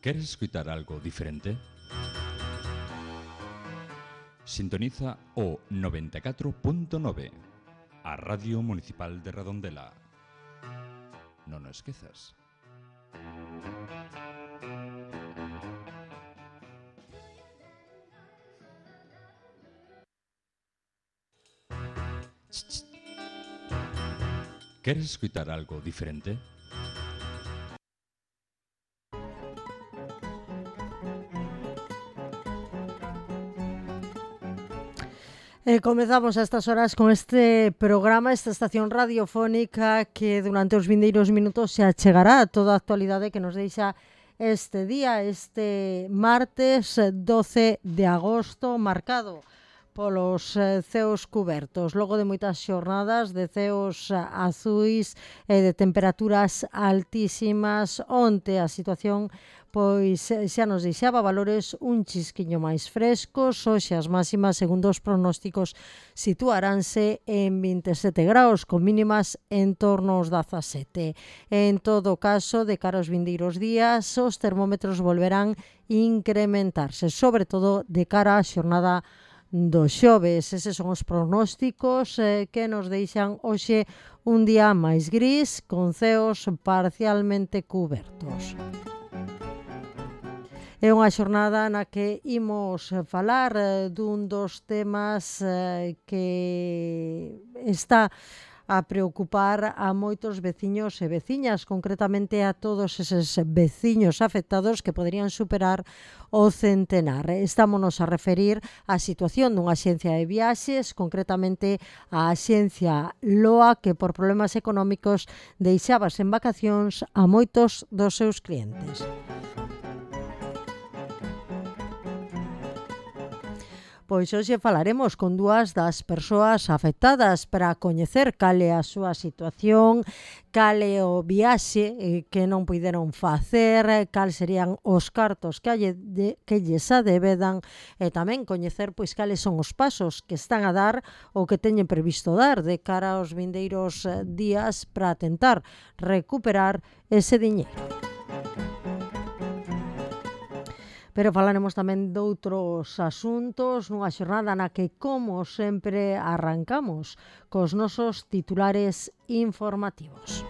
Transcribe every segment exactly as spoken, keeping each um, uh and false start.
¿Queres escuchar algo diferente? Sintoniza o noventa e catro punto nove, a Radio Municipal de Redondela. Non o esquezas. ¿Queres escuchar algo diferente? Eh, comezamos a estas horas con este programa, esta estación radiofónica que durante os vindeiros minutos se achegará a toda a actualidade que nos deixa este día, este martes doce de agosto, marcado polos eh, ceos cubertos, logo de moitas xornadas de ceos eh, azuis e de temperaturas altísimas. Onte a situación pois xa nos deixaba valores un chisquiño máis frescos. Hoxe as máximas, segundo os pronósticos, situaránse en vinte e sete graus, con mínimas en torno aos dezasete. En todo caso, de cara aos vindeiros días, os termómetros volverán incrementarse, sobre todo de cara á xornada do xoves. Eses son os pronósticos eh, que nos deixan hoxe un día máis gris, con ceos parcialmente cubertos. É unha xornada na que imos falar eh, dun dos temas eh, que está a preocupar a moitos veciños e veciñas, concretamente a todos eses veciños afectados que poderían superar o centenar. Estámonos a referir á situación dunha axencia de viaxes, concretamente a axencia Loa, que por problemas económicos deixaba sen vacacións a moitos dos seus clientes. Pois hoxe falaremos con dúas das persoas afectadas para coñecer cal é a súa situación, cal é o viaxe eh, que non puideron facer, cal serían os cartos que, alle, de, que lles adebedan, e tamén coñecer pois cales son os pasos que están a dar ou que teñen previsto dar de cara aos vindeiros días para tentar recuperar ese diñeiro. Pero falaremos tamén doutros asuntos nunha xornada na que, como sempre, arrancamos cos nosos titulares informativos.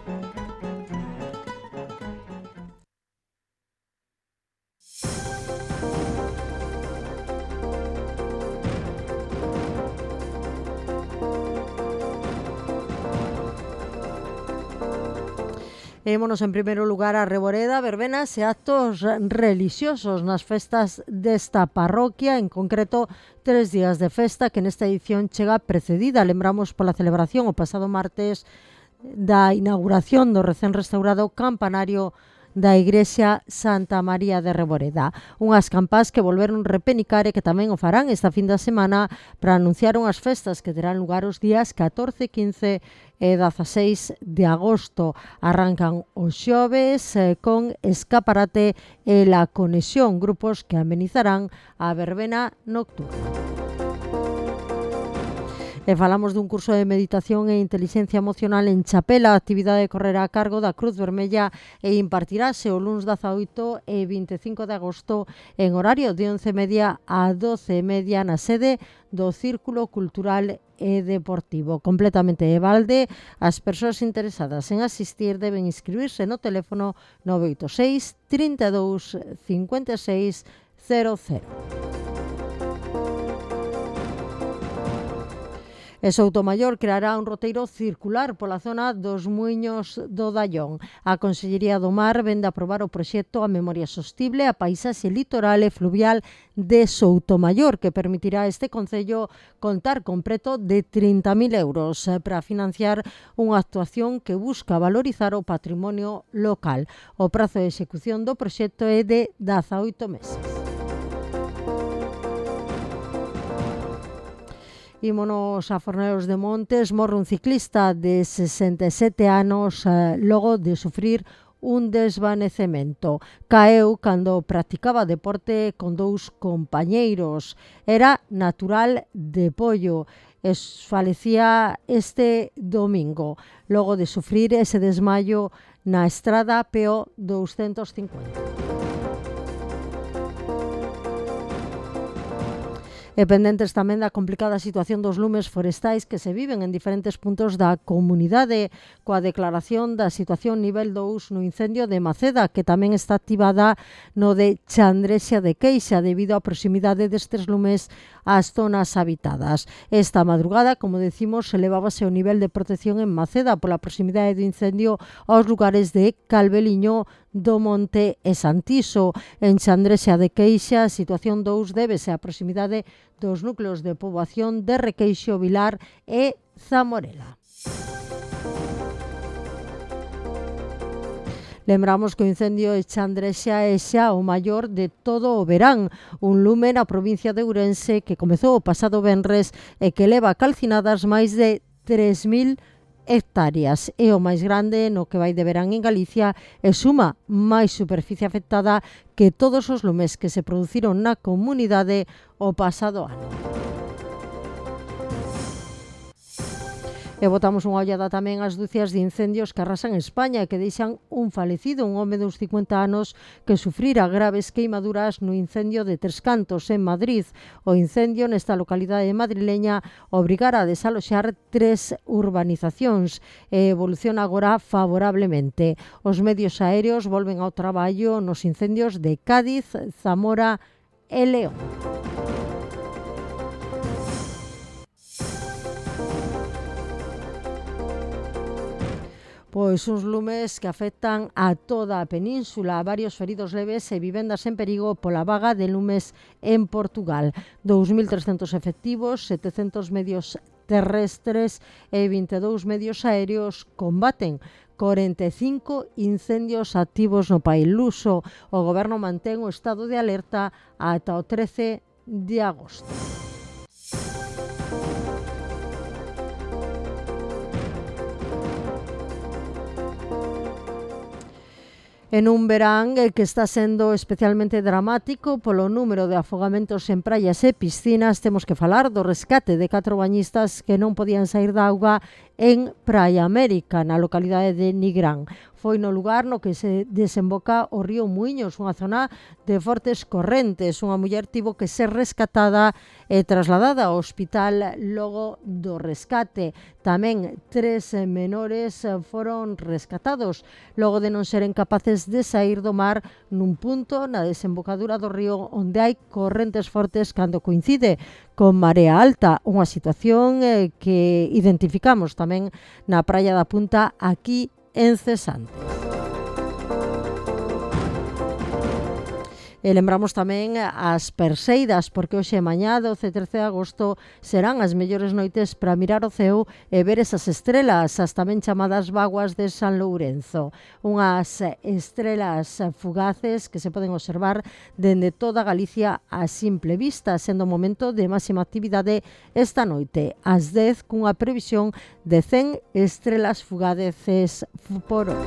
Vémonos en primeiro lugar a Reboreda, verbenas e actos relixiosos nas festas desta parroquia, en concreto tres días de festa que nesta edición chega precedida, lembramos, pola celebración o pasado martes da inauguración do recén restaurado campanario da Igrexa Santa María de Reboreda. Unhas campás que volveron repenicar e que tamén o farán esta fin da semana para anunciar unhas festas que terán lugar os días catorce, quince e dezaseis de agosto. Arrancan os xoves eh, con escaparate e la conexión, grupos que amenizarán a verbena nocturna. E falamos dun curso de meditación e inteligencia emocional en Chapela. A actividade correrá a cargo da Cruz Vermella e impartirase o luns dezaoito e vinte e cinco de agosto en horario de once e media a doce e media na sede do Círculo Cultural e Deportivo. Completamente de balde, as persoas interesadas en asistir deben inscribirse no teléfono nove oito seis, trinta e dous, cincuenta e seis, cero cero. E Soutomaior creará un roteiro circular pola zona dos Muiños do Dallón. A Consellería do Mar vende a aprobar o proxecto A Memoria Sostible, a Paisaxe Litoral e Fluvial de Soutomaior, que permitirá a este concello contar con preto de trinta mil euros para financiar unha actuación que busca valorizar o patrimonio local. O prazo de execución do proxecto é de dezaoito meses. Ímonos a Fornelos de Montes. Morre un ciclista de sesenta e sete anos eh, logo de sufrir un desvanecemento. Caeu cando practicaba deporte con dous compañeiros. Era natural de Pollo. Falecía este domingo, logo de sufrir ese desmayo na estrada P O doscientos cincuenta. E pendentes tamén da complicada situación dos lumes forestais que se viven en diferentes puntos da comunidade, coa declaración da situación nivel dous no incendio de Maceda, que tamén está activada no de Chandrexa de Queixa debido á proximidade destes lumes ás zonas habitadas. Esta madrugada, como decimos, elevábase o nivel de protección en Maceda pola proximidade do incendio aos lugares de Calveliño, do Monte e Santiso. En Chandrexa de Queixa, a situación dous débese á proximidade dos núcleos de poboación de Requeixo, Vilar e Zamorela. Lembramos que o incendio de Chandrexa é xa o maior de todo o verán, un lume na provincia de Ourense que comezou o pasado venres e que leva calcinadas máis de tres mil hectáreas. É o máis grande no que vai de verán en Galicia e suma máis superficie afectada que todos os lumes que se produciron na comunidade o pasado ano. E botamos unha ollada tamén ás ducias de incendios que arrasan España e que deixan un falecido, un home dos cincuenta anos que sufrira graves queimaduras no incendio de Tres Cantos, en Madrid. O incendio nesta localidade madrileña obrigara a desaloxar tres urbanizacións e evoluciona agora favorablemente. Os medios aéreos volven ao traballo nos incendios de Cádiz, Zamora e León. Pois uns lumes que afectan a toda a península, varios feridos leves e vivendas en perigo pola vaga de lumes en Portugal. dous mil trescentos efectivos, setecentos medios terrestres e vinte e dous medios aéreos combaten corenta e cinco incendios activos no país luso. O goberno mantén o estado de alerta ata o trece de agosto. En un verán que está sendo especialmente dramático polo número de afogamentos en praias e piscinas, temos que falar do rescate de catro bañistas que non podían sair da auga en Praia América, na localidade de Nigrán. Foi no lugar no que se desemboca o río Muiños, unha zona de fortes correntes. Unha muller tivo que ser rescatada e trasladada ao hospital logo do rescate. Tamén tres menores foron rescatados logo de non seren capaces de sair do mar nun punto na desembocadura do río onde hai correntes fortes cando coincide con marea alta, unha situación eh, que identificamos tamén na praia da Punta aquí en Cesante. E lembramos tamén as Perseidas, porque hoxe e mañá, doce e trece de agosto, serán as mellores noites para mirar o ceo e ver esas estrelas, as tamén chamadas vaguas de San Lourenzo. Unhas estrelas fugaces que se poden observar dende toda Galicia a simple vista, sendo o momento de máxima actividade esta noite, ás dez, cunha previsión de cen estrelas fugaces por hora.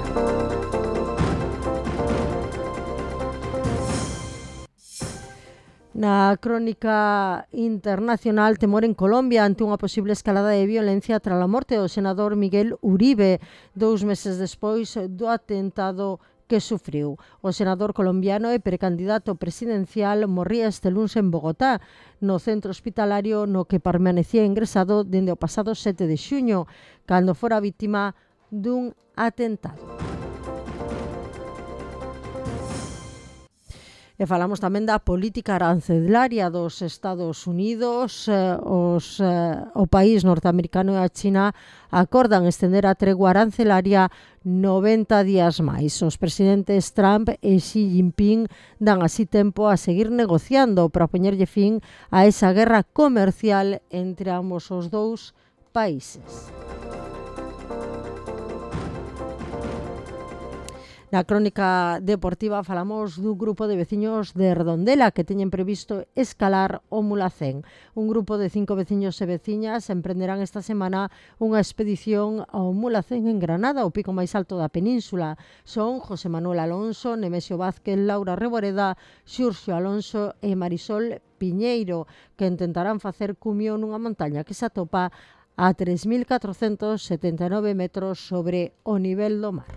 Na crónica internacional, temor en Colombia ante unha posible escalada de violencia tras a morte do senador Miguel Uribe, dous meses despois do atentado que sufriu. O senador colombiano e precandidato presidencial morría este luns en Bogotá, no centro hospitalario no que permanecía ingresado dende o pasado sete de xuño, cando fora vítima dun atentado. E falamos tamén da política arancelaria dos Estados Unidos. Os, o país norteamericano e a China acordan estender a tregua arancelaria noventa días máis. Os presidentes Trump e Xi Jinping dan así tempo a seguir negociando para poñerlle fin a esa guerra comercial entre ambos os dous países. Na crónica deportiva falamos dun grupo de veciños de Redondela que teñen previsto escalar o Mulacén. Un grupo de cinco veciños e veciñas emprenderán esta semana unha expedición ao Mulacén en Granada, o pico máis alto da península. Son José Manuel Alonso, Nemesio Vázquez, Laura Reboreda, Xurxo Alonso e Marisol Piñeiro, que intentarán facer cumio nunha montaña que se atopa a tres mil catrocentos setenta e nove metros sobre o nivel do mar.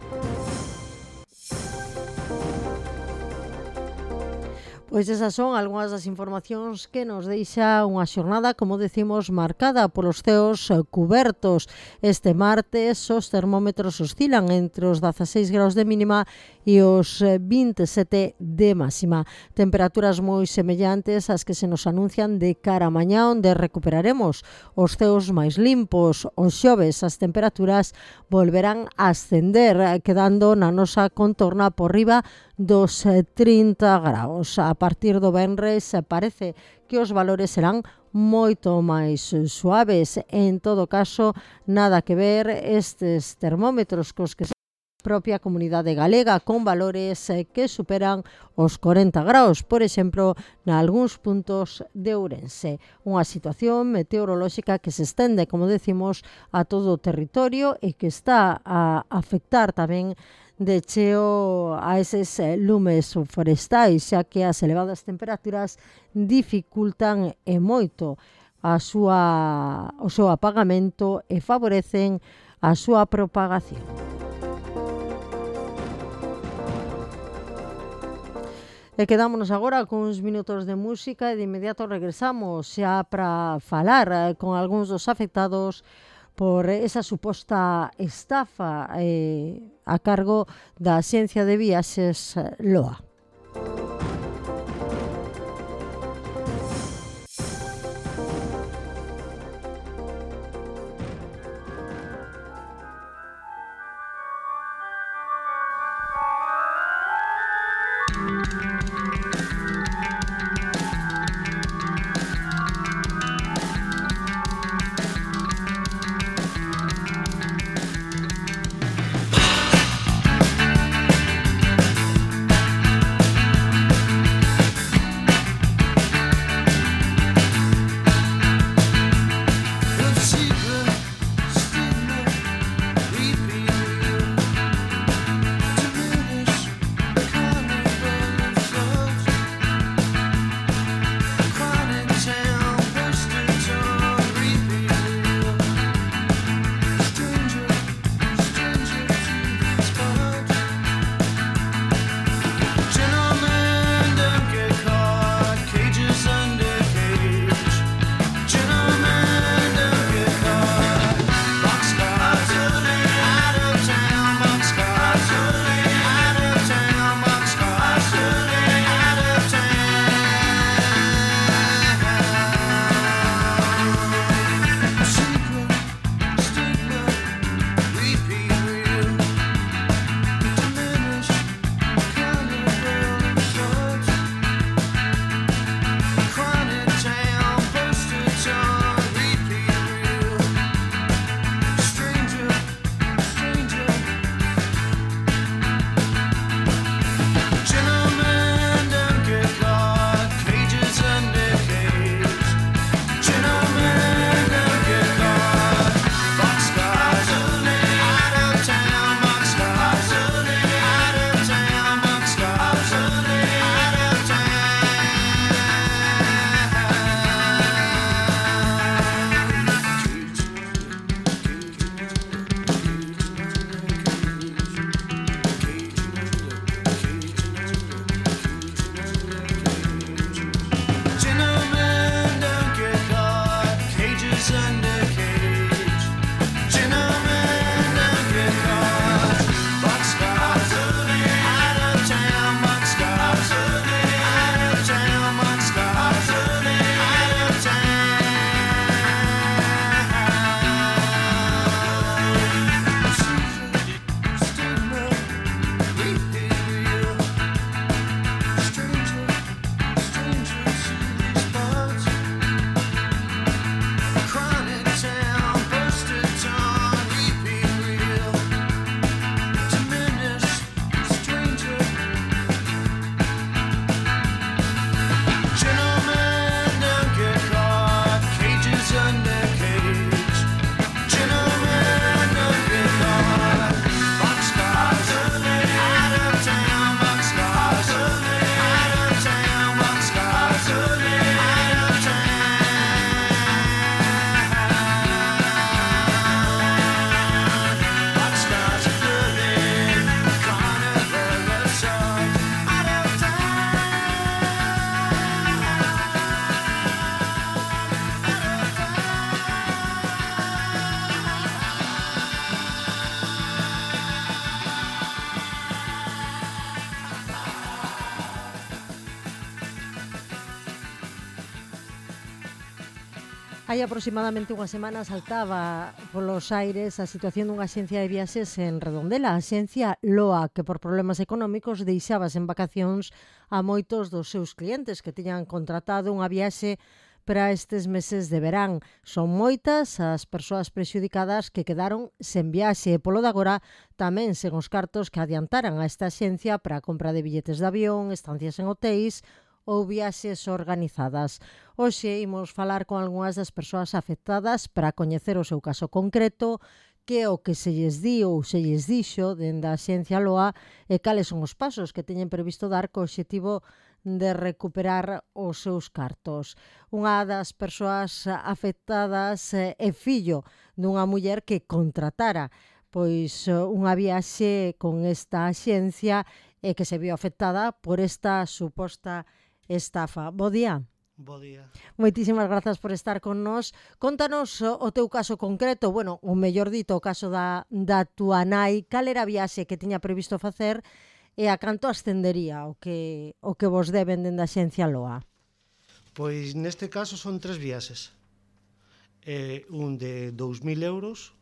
Pois esas son algunhas das informacións que nos deixa unha xornada, como decimos, marcada polos ceos cubertos. Este martes os termómetros oscilan entre os dezaseis graus de mínima e os vinte e sete de máxima. Temperaturas moi semellantes ás que se nos anuncian de cara a mañá, onde recuperaremos os ceos máis limpos. Os xoves as temperaturas volverán a ascender, quedando na nosa contorna por riba dos trinta graus. A partir do venres parece que os valores serán moito máis suaves. En todo caso, nada que ver estes termómetros cos que se propia comunidade galega, con valores que superan os corenta graus, por exemplo, nalgúns puntos de Ourense. Unha situación meteorolóxica que se estende, como decimos, a todo o territorio e que está a afectar tamén de cheo a eses lumes forestais, xa que as elevadas temperaturas dificultan e moito a súa, o seu apagamento e favorecen a súa propagación. E quedámonos agora con uns minutos de música e de inmediato regresamos xa para falar con algúns dos afectados por esa suposta estafa eh, a cargo da Axencia de Viaxes Loa. Hai aproximadamente unha semana saltaba polos aires a situación dunha axencia de viaxes en Redondela, a axencia Loa, que por problemas económicos deixaba sen vacacións a moitos dos seus clientes que tiñan contratado unha viaxe para estes meses de verán. Son moitas as persoas prexudicadas que quedaron sen viaxe e polo de agora tamén sen os cartos que adiantaran a esta axencia para a compra de billetes de avión, estancias en hotéis ou viaxes organizadas. Hoxe imos falar con algunhas das persoas afectadas para coñecer o seu caso concreto, que é o que se lles di ou se lles dixo dende a Axencia Loa e cales son os pasos que teñen previsto dar co obxectivo de recuperar os seus cartos. Unha das persoas afectadas é fillo dunha muller que contratara pois unha viaxe con esta axencia e que se viu afectada por esta suposta estafa. Bo día. Bo día. Moitísimas grazas por estar con nós. Contanos o teu caso concreto, bueno, o mellor dito, o caso da, da túa nai. Cal era a viaxe que tiña previsto facer e a canto ascendería o que, o que vos deben dende a Axencia Loa? Pois neste caso son tres viaxes. Eh, un de dous mil euros,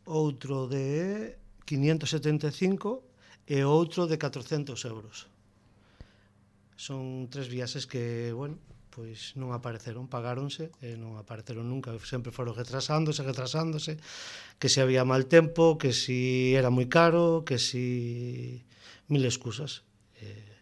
outro de quinientos setenta e cinco e outro de catrocentos euros. Son tres viaxes que, bueno, pois non apareceron, pagáronse e non apareceron nunca, sempre foron retrasándose, retrasándose, que se había mal tempo, que si era moi caro, que si mil excusas. Eh,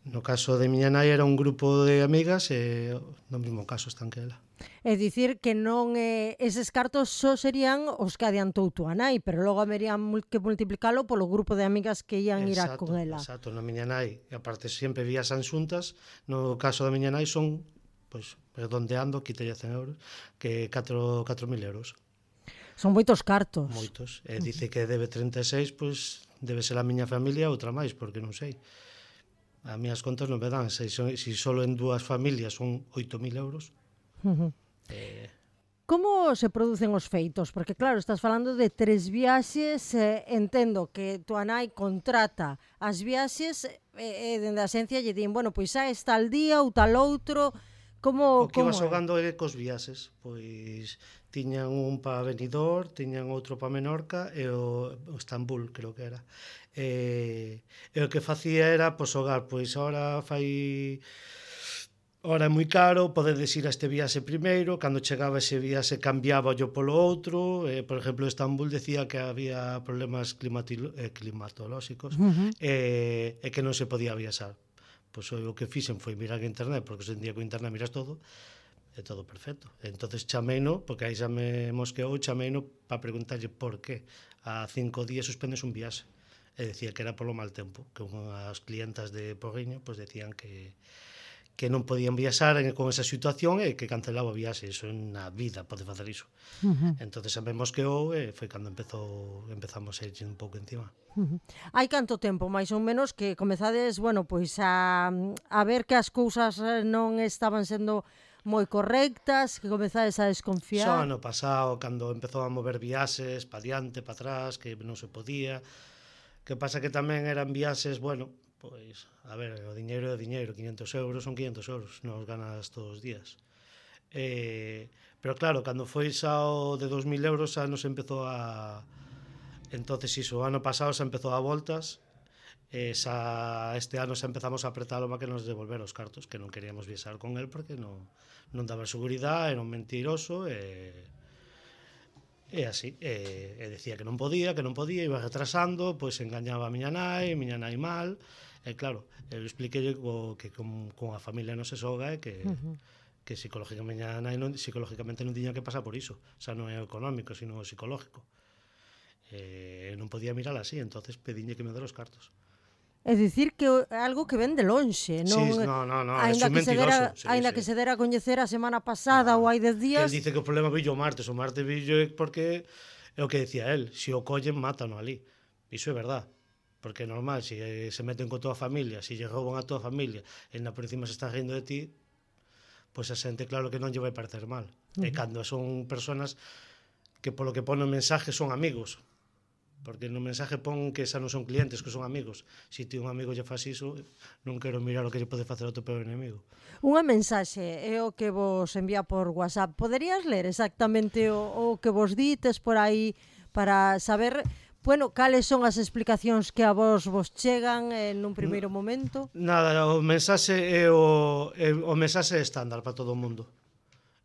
no caso de miña nai era un grupo de amigas e no mesmo caso están que ela. É dicir que non eh, eses cartos só serían os que adiantou túa nai, pero logo haberían que multiplicalo polo grupo de amigas que ian ir a con ela. Exacto, na miña nai, e aparte sempre viaxan xuntas, no caso da miña nai son, pois, redondeando, quítelle cen euros, que catro mil euros. Son moitos cartos. Moitos, e dice que debe trinta e seis, pois debe ser a miña familia outra máis, porque non sei. As miñas contas non me dan, se, se solo en dúas familias son oito mil euros. Uh-huh. Eh... Como se producen os feitos? Porque claro, estás falando de tres viaxes, eh, entendo que tua nai contrata as viaxes e eh, eh, dende a axencia lle din, bueno, pois xa está al día ou tal outro. Como, o que como iba xogando é cos viaxes, pois tiñan un para Benidorm, tiñan outro para Menorca e o, o Estambul, creo que era. E, e o que facía era, pois, xogar, pois, ahora fai... Ora é moi caro, podedes ir a este viaxe primeiro, cando chegaba ese viaxe cambiaba yo polo outro, eh, por exemplo, Estambul decía que había problemas eh, climatolóxicos uh-huh. e, e que non se podía viaxar. Pois o que fixen foi mirar en internet, porque hoxe en día con internet miras todo, é todo perfecto. Entonces chameino, porque aí xa me mosqueou, chameino para preguntarlle por qué a cinco días suspendes un viaxe. E decía que era polo mal tempo, que unhas clientas de Porriño pois decían que que non podían viaxar con esa situación e que cancelaba o viaxe. Iso na vida pode facer iso. Uh-huh. Entón, xa me mosqueou e foi cando empezou, empezamos a ir un pouco encima. Uh-huh. Hai canto tempo, máis ou menos, que comezades, bueno, pois a, a ver que as cousas non estaban sendo moi correctas, que comezades a desconfiar? Só ano pasado, cando empezou a mover viaxes pa diante, pa atrás, que non se podía. Que pasa que tamén eran viaxes, bueno, pois, a ver, o diñeiro é o diñeiro, quinientos euros son quinientos euros, non os ganas todos os días. Eh, pero claro, cando foi xa o de dos mil euros xa nos empezou a... Entonces, iso, o ano pasado xa empezou a voltas, e xa este ano xa empezamos a apretalo para que nos devolver os cartos, que non queríamos viaxar con el porque non, non daba seguridade, era un mentiroso, e... E así, e, e decía que non podía, que non podía, iba retrasando, pois engañaba a miña nai, a miña nai mal, e claro, eu expliquei que con, con a familia non se soga e que, uh-huh. que psicológicamente, nai non, psicológicamente non tiña que pasar por iso, xa non é o económico, sino o psicológico. E non podía mirar así, entonces pediñe que me dera os cartos. É dicir que é algo que ven de lonxe, non? Sí, no, no, no, é ainda un que mentiroso. Se dera, sí, ainda sí. que se dera a coñecer a semana pasada no, ou hai dez días... Que el dice que o problema villo o martes, o martes villo é porque é o que decía él, se o collen, mátano ali. Iso é verdad, porque é normal, se se meten con toda a familia, se lle rouban a toda a familia, e na por encima se están rindo de ti, pois a xente claro que non lle vai parecer mal. Uh-huh. E cando son personas que polo que ponen mensajes son amigos, porque no mensaje pon que xa non son clientes, que son amigos. Se ti un amigo lle faz iso, non quero mirar o que lle pode facer ao teu peor enemigo. Unha mensaxe é o que vos envía por WhatsApp. Poderías ler exactamente o, o que vos dites por aí para saber, bueno, cales son as explicacións que a vos vos chegan en un primeiro momento? Nada, o mensaxe é o, é, o mensaxe estándar para todo o mundo.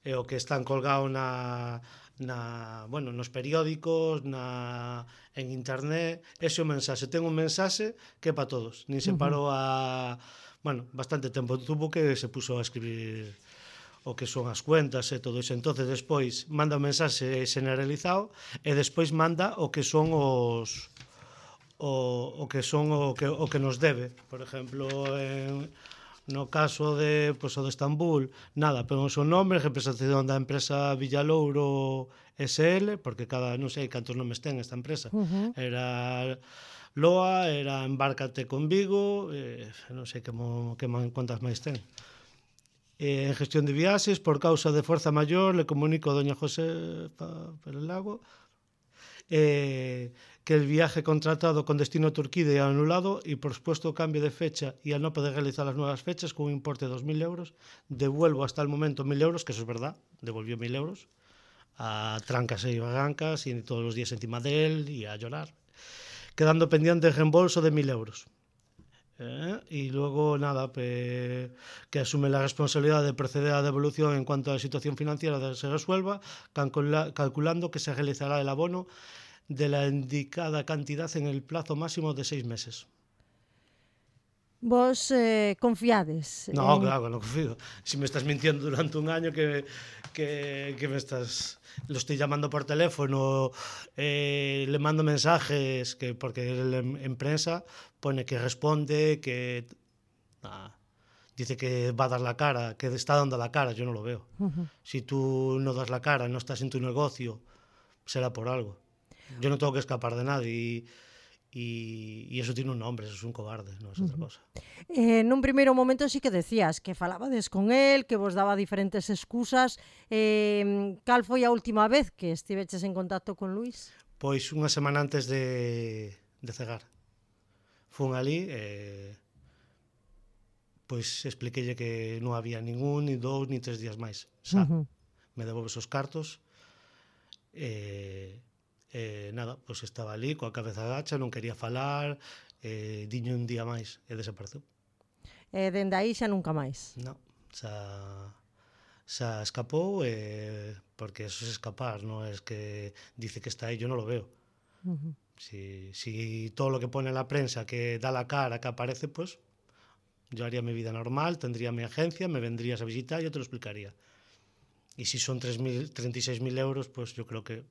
É o que están colgado na, na, bueno, nos periódicos, na, en internet. Ese é o mensaxe. Ten un mensaxe que é para todos. Nin se parou a... Bueno, bastante tempo tuvo que se puso a escribir o que son as cuentas e todo iso. Entonces, despois, manda un mensaxe generalizado e despois manda o que son os... O, o que son o que, o que nos debe. Por exemplo, en... No caso de, pues, o de Estambul, nada, pero o seu nome, representación da empresa Villalouro S L, porque cada, non sei cantos nomes ten esta empresa. Uh-huh. Era Loa, era Embárcate con Vigo, eh, non sei que, mo, que man, cuantas máis ten. Eh, en gestión de viaxes, por causa de forza maior, le comunico a doña José Perelago eh, que el viaje contratado con destino a Turquía ha anulado y por supuesto cambio de fecha y al no poder realizar las nuevas fechas con un importe de dos mil euros, devuelvo hasta el momento mil euros, que eso es verdad, devolvió mil euros a trancas y barrancas y todos los días encima de él y a llorar, quedando pendiente el reembolso de mil euros. Eh, y luego nada, pe, que asume la responsabilidad de proceder a la devolución en cuanto a la situación financiera se resuelva, calcula, calculando que se realizará el abono de la indicada cantidad en el plazo máximo de seis meses. Vos eh, confiades? No, en... claro, no confío. Si me estás mintiendo durante un año que, que, que me estás... Lo estoy llamando por teléfono, eh, le mando mensajes, que porque en, en prensa pone que responde, que... Ah, dice que va a dar la cara, que está dando la cara, yo no lo veo. Uh-huh. Si tú no das la cara, no estás en tu negocio, será por algo. Yo no tengo que escapar de nadie y... Y, y eso tiene un nombre, eso es un cobarde, non é outra cosa. Eh, nun primeiro momento sí que decías que falabades con él, que vos daba diferentes excusas. Eh, cal foi a última vez que estiveches en contacto con Luís? Pois unha semana antes de, de cegar. Fun ali e... Pois expliquelle que non había ningún, ni dous, ni tres días máis. Xa, uh-huh. Me devolves os cartos e... Eh, nada, pois pues estaba ali coa cabeza agacha, non quería falar, eh, diño un día máis e desapareceu. E eh, dende aí xa nunca máis? Non, xa, xa escapou, eh, porque eso é escapar, non é que dice que está aí, yo non lo veo. Uh-huh. Si, si todo lo que pone en la prensa que da la cara, que aparece, pues yo haría mi vida normal, tendría mi agencia, me vendrías a visitar y yo te lo explicaría. Y si son treinta y seis mil euros, pues yo creo que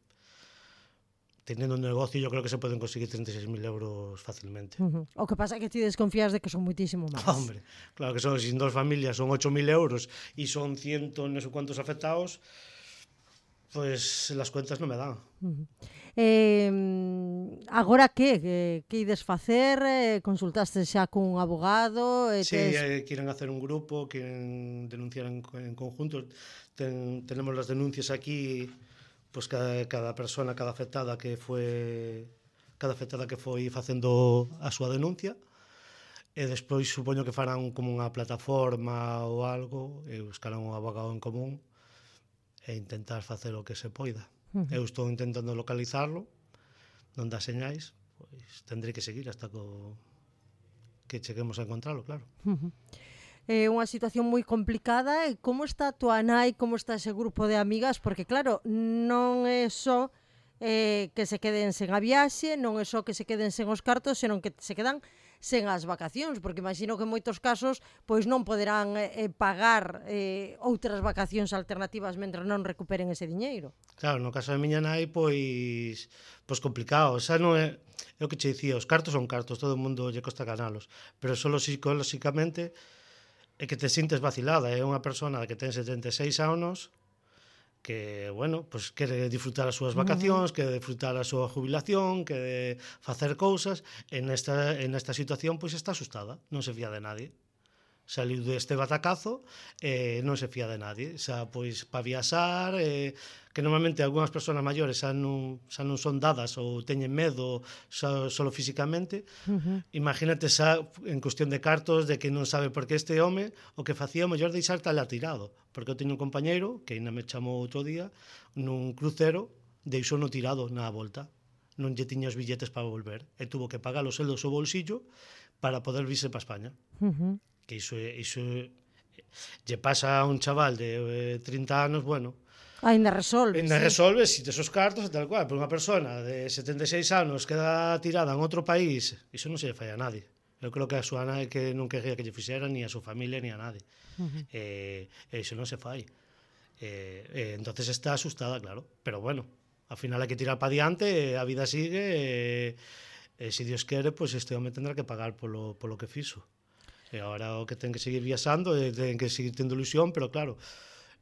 teniendo un negocio, yo creo que se pueden conseguir treinta y seis mil euros fácilmente. Uh-huh. O que pasa é que ti desconfías de que son muitísimo máis. Hombre, claro que son, sin dos familias son ocho mil euros e son ciento no sé cuántos afectados, pues las cuentas non me dan. Uh-huh. Eh, agora que? Que, que ides facer? Eh, consultaste xa cun abogado? Eh, sí, tes... eh, quieren hacer un grupo, quieren denunciar en, en conjunto. Ten, tenemos las denuncias aquí... Pues cada, cada persona, cada afectada que foi cada afectada que foi facendo a súa denuncia e despois supoño que farán como unha plataforma ou algo e buscarán un abogado en común e intentar facer o que se poida. Uh-huh. Eu estou intentando localizarlo, non dá señais, pois tendré que seguir hasta co... que cheguemos a encontralo, claro. Uh-huh. É unha situación moi complicada. E como está a tua nai, como está ese grupo de amigas? Porque claro, non é só eh, que se queden sen a viaxe, non é só que se queden sen os cartos, senón que se quedan sen as vacacións, porque imagino que en moitos casos pois non poderán eh, pagar eh, outras vacacións alternativas mentre non recuperen ese diñeiro. Claro, no caso da miña nai, pois pois complicado, xa non é, é o que che dicía, os cartos son cartos, todo o mundo lle costa ganalos, pero solo psicolóxicamente é que te sintes vacilada, é unha persona que ten setenta e seis anos que, bueno, pues quere disfrutar as súas vacacións, quere disfrutar a súa jubilación, quere facer cousas, en esta, en esta situación pois está asustada, non se fía de nadie. saliu deste batacazo e eh, non se fía de nadie, xa, pois, para viaxar, eh, que normalmente algunhas persoas maiores xa non, xa non son dadas ou teñen medo xa, solo físicamente, uh-huh. Imagínate xa en cuestión de cartos, de que non sabe por que este home o que facía o mellor deixar tal atirado, porque eu teño un compañeiro que ainda me chamou outro día nun crucero, deixou no tirado na volta, non lle tiña os billetes para volver e tuvo que pagar os seldos ao bolsillo para poder virse para España. Uh-huh. Que iso, iso lle pasa a un chaval de eh, trinta anos, bueno, ainda resolve. Ainda sí. resolve, si tes os cartos e tal cual, pero unha persona de setenta e seis anos queda tirada en outro país, iso non se lle fai a nadie. Eu creo que a súa nai que non quería que lle fixera ni a súa familia ni a nadie. Uh-huh. E eh, iso non se fai. Eh, eh, entonces está asustada, claro, pero bueno, ao final hai que tirar para diante, a vida sigue e, e se Dios quere, pois pues este home tendrá que pagar polo, polo que fixo. E agora o que ten que seguir viaxando e ten que seguir tendo ilusión, pero claro,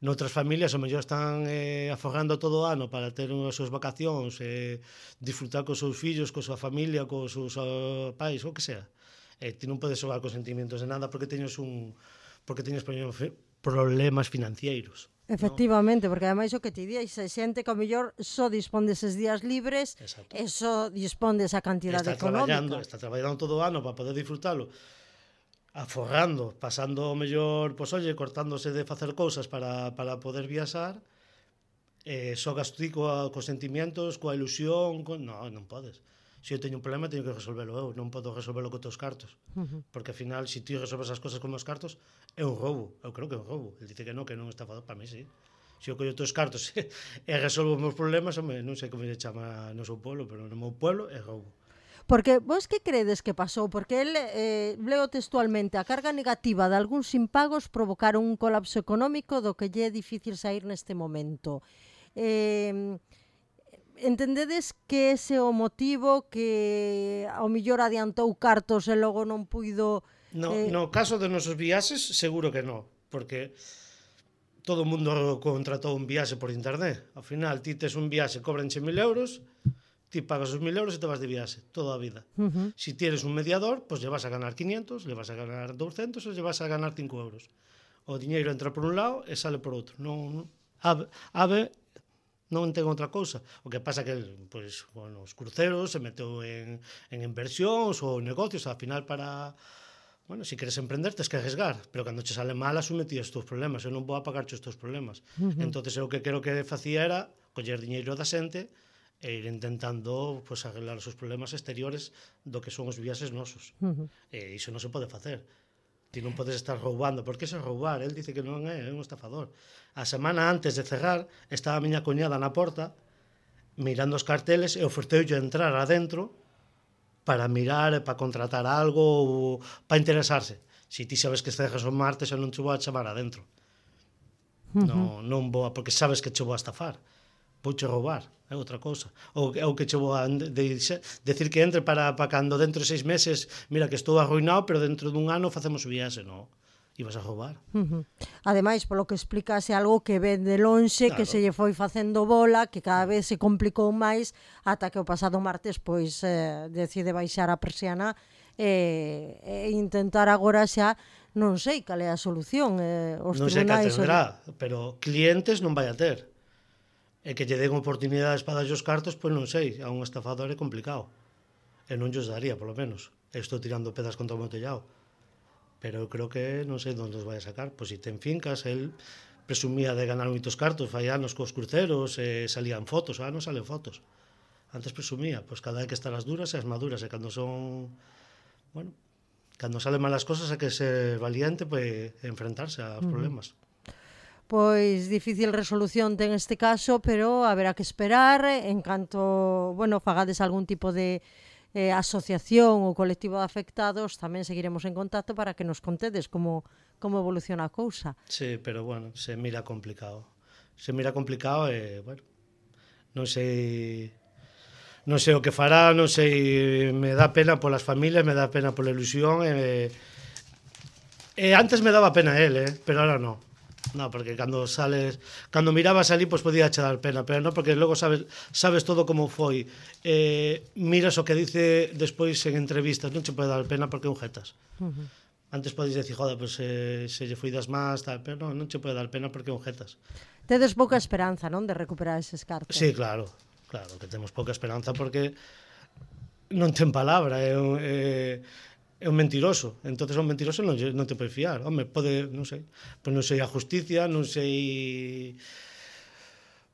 noutras familias o mellor están eh, afogando todo o ano para ter as súas vacacións, eh, disfrutar cos seus fillos, coa súa familia, cos seus uh, pais, o que sea. E ti non podes xogar con sentimientos de nada porque teñes un porque teñes problemas financeiros. Efectivamente, no? Porque ademais o que ti di, xe xente que ao mellor só dispón deses días libres. Exacto. E só dispón desa cantidade está económica. Traballando, está traballando todo o ano para poder disfrutalo, aforrando, pasando o mellor, pois olle, cortándose de facer cousas para, para poder viaxar, eh, só gastí coa, cos sentimientos, coa ilusión, con... non, non podes. Se eu teño un problema, teño que resolvelo eu, non podo resolvelo co teus cartos. Uh-huh. Porque ao final, se ti resolves as cousas con os cartos, é un roubo, eu creo que é un roubo. El dice que non, que non é un estafador, para mí sí. Se eu collo teus cartos e resolvo os meus problemas, home, non sei como se chama no seu pueblo, pero no meu pueblo é roubo. Porque vos que credes que pasou? Porque el, eh, leo textualmente, a carga negativa de algúns impagos provocaron un colapso económico do que lle é difícil sair neste momento. Eh, entendedes que ese é o motivo que ao millor adiantou cartos e logo non puido... No, eh... no caso de nosos viaxes, seguro que non, porque todo o mundo contratou un viaxe por internet. Ao final, ti tes un viaxe, cobranche mil euros... ti pagas os mil euros e te vas de viaxe toda a vida. Uh-huh. Si tienes un mediador, pois pues lle vas a ganar quinientos, le vas a ganar doscientos ou lle vas a ganar cinco euros. O diñeiro entra por un lado e sale por outro. Non, ave, ave non ten outra cousa. O que pasa que pois, bueno, os cruceros se meteu en, en inversións ou negocios, ao final para... Bueno, si queres emprender, tens que arriesgar, pero cando che sale mal, asume ti os teus problemas. Eu non vou a pagar os teus problemas. Uh-huh. Entonces, eu que creo que facía era coller diñeiro da xente e ir intentando pues, arreglar os seus problemas exteriores do que son os viaxes nosos. Uh-huh. E iso non se pode facer. Ti non podes estar roubando. Por que se roubar? El dice que non é, é un estafador. A semana antes de cerrar, estaba a miña coñada na porta mirando os carteles e oferteulle entrar adentro para mirar, para contratar algo ou para interesarse. Si ti sabes que cerras o martes, eu non te vou a chamar adentro. Uh-huh. Non, non vou a, porque sabes que te vou a estafar. Vouche roubar, é outra cousa. Ou, ou que che vou a de, de, de, decir que entre para, para cando dentro de seis meses, mira que estou arruinado, pero dentro dun ano facemos o viaxe, non? Ibas a roubar. Uh-huh. Ademais, polo que explicase algo que ven de lonxe, claro, que se lle foi facendo bola, que cada vez se complicou máis, ata que o pasado martes, pois, eh, decide baixar a persiana e, e intentar agora xa, non sei cal é a solución. Eh, os non sei que tendrá, o... pero clientes non vai a ter. E que lle den oportunidades para darlle os cartos, pois non sei, a un estafador é complicado. E non llos daría, polo menos. E estou tirando pedras contra o meu tellado. Pero eu creo que non sei onde os vai a sacar. Pois se ten fincas, el presumía de ganar moitos cartos, fai anos cos cruceros, e salían fotos, ah, non salen fotos. Antes presumía, pois cada vez que están as duras e as maduras, e cando son, bueno, cando salen malas cosas hai que ser valiente, pois enfrentarse aos problemas. Uh-huh. Pois difícil resolución ten este caso, pero haberá que esperar en canto, bueno, fagades algún tipo de eh, asociación ou colectivo de afectados, tamén seguiremos en contacto para que nos contedes como, como evoluciona a cousa. Sí, pero bueno, se mira complicado. Se mira complicado e, bueno, non sei... Non sei o que fará, non sei, me dá pena polas familias, me dá pena pola ilusión e, e antes me daba pena el, eh, pero ahora non. No, porque cando sales, cando mirabas ali, pois podía che dar pena, pero non, porque logo sabes, sabes todo como foi. Eh, miras o que dice despois en entrevistas, non che pode dar pena porque é un jetas. Uh-huh. Antes podes decir, joder, pues, eh, se lle foi das más, tal, pero non, non che pode dar pena porque é un jetas. Tedes pouca esperanza, non, de recuperar eses cartos? Sí, claro, claro, que temos pouca esperanza porque non ten palabra, é un, é, é un mentiroso. Entonces un mentiroso non, non te pode fiar. Home, pode, non sei, pois non sei a justicia, non sei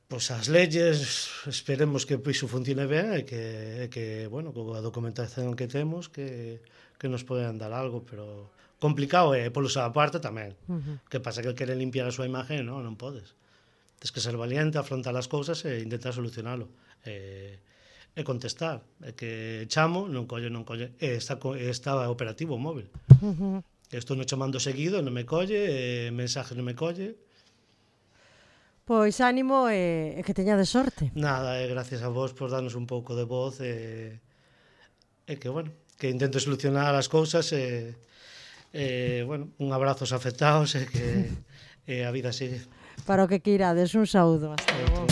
pois as leyes, esperemos que iso funcione ben e que, e que bueno, coa documentación que temos que, que nos poden dar algo, pero complicado é polo xa parte tamén. Uh-huh. Que pasa que quere limpiar a súa imagen, non, non podes. Tens que ser valiente, afrontar as cousas e intentar solucionalo. E, e contestar. É que chamo, non colle, non colle. E está, está operativo o móvil. Uh-huh. Estou non chamando seguido, non me colle, e mensaje non me colle. Pois ánimo e, e que teñades sorte. Nada, e gracias a vos por darnos un pouco de voz e, e que, bueno, que intento solucionar as cousas e, e bueno, un abrazo aos afectados e que e a vida sigue. Para o que queirades, un saúdo. Hasta logo.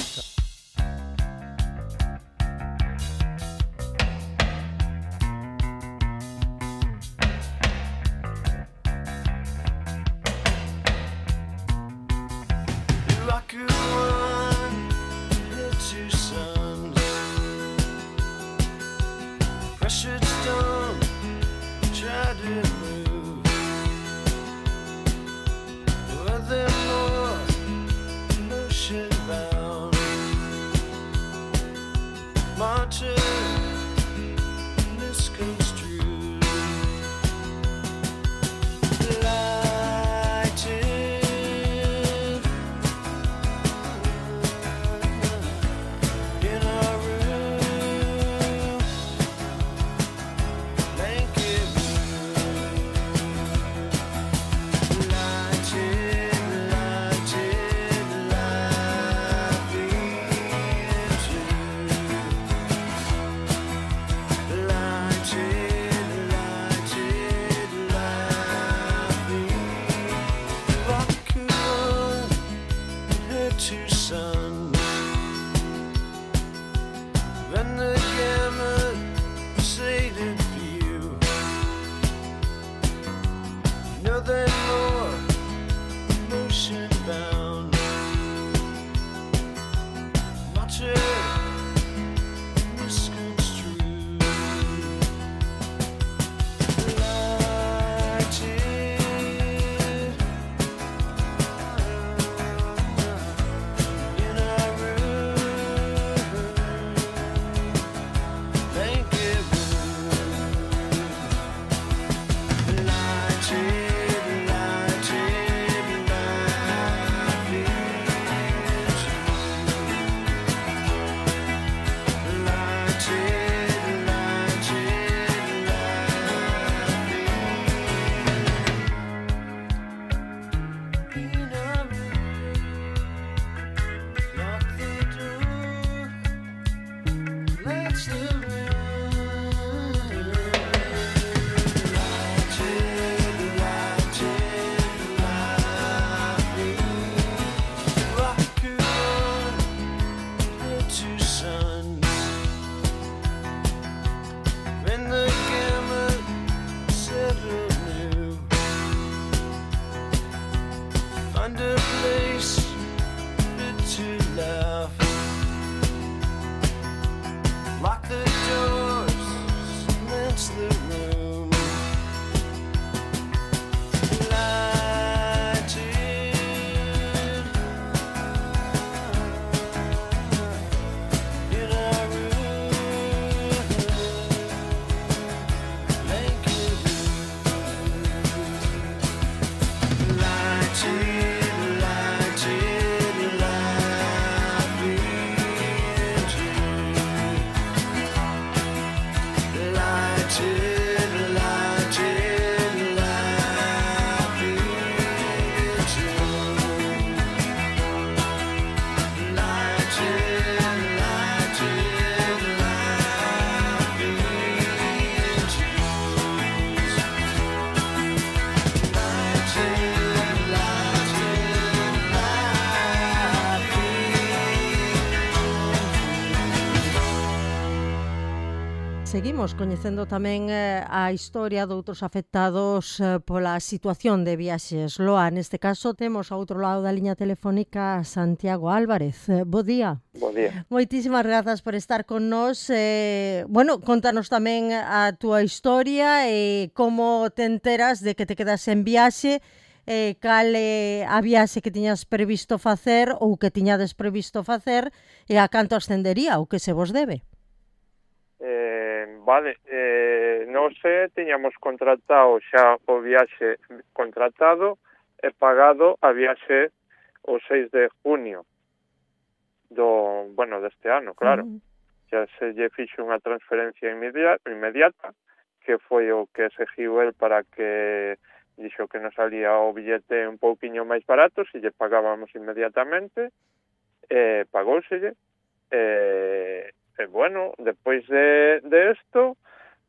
Lock the door. seguimos coñecendo tamén eh, a historia de outros afectados eh, pola situación de viaxes. Loa, neste caso temos ao outro lado da liña telefónica Santiago Álvarez. Eh, bo día. Bo día. Moitísimas grazas por estar con nós. Eh, bueno, contanos tamén a túa historia e como te enteras de que te quedas en viaxe, eh, cal é a viaxe que tiñas previsto facer ou que tiñades previsto facer e a canto ascendería o que se vos debe. Eh, vale, eh, non sei, tiñamos contratado xa o viaxe contratado e pagado a viaxe o seis de junio do, bueno, deste ano, claro. Uh-huh. Xa se lle fixo unha transferencia inmediata, inmediata, que foi o que exigiu el para que dixo que nos salía o billete un pouquiño máis barato, se lle pagábamos inmediatamente, eh, pagóuselle, eh, E, bueno, despois de, de esto,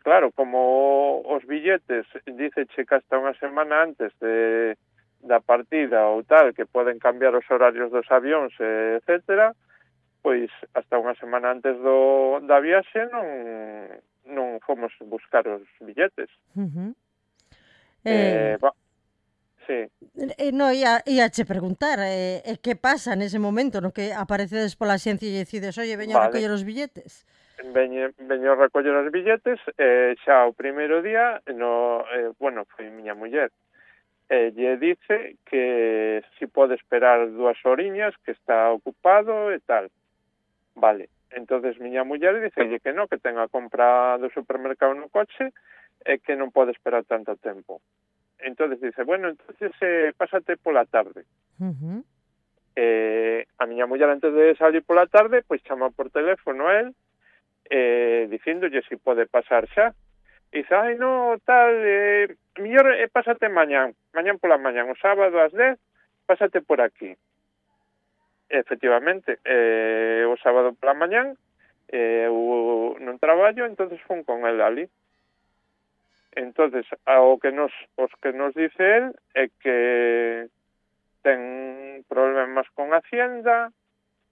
claro, como os billetes diceche que hasta unha semana antes de, da partida ou tal, que poden cambiar os horarios dos avións, etcétera, pois hasta unha semana antes do, da viaxe non, non fomos buscar os billetes. Uh-huh. Eh, eh, va, sí. Eh, no, ia, ia che preguntar, eh, eh, que pasa nese momento no que aparecedes pola xencia e decides, oye, veño vale. a recoller os billetes? Veño, veño a recoller os billetes, eh, xa o primeiro día, no, eh, bueno, foi miña muller, eh, lle dice que si pode esperar dúas horiñas, que está ocupado e tal. Vale, entonces miña muller dicelle que no, que ten a compra do supermercado no coche e que non pode esperar tanto tempo. Entonces dice, bueno, entonces eh, pásate pola tarde. Uh-huh. Eh, a miña muller antes de salir pola tarde, pois chama por teléfono a él, eh, dicíndolle si pode pasar xa. E dice, ai, no, tal, eh, mellor eh, pásate mañán, mañán pola mañán, o sábado ás dez, pásate por aquí. Efectivamente, eh, o sábado pola mañán, eh, eu non traballo, entonces fun con el ali. Entonces, ao que nos, os que nos dice él é que ten problemas con Hacienda,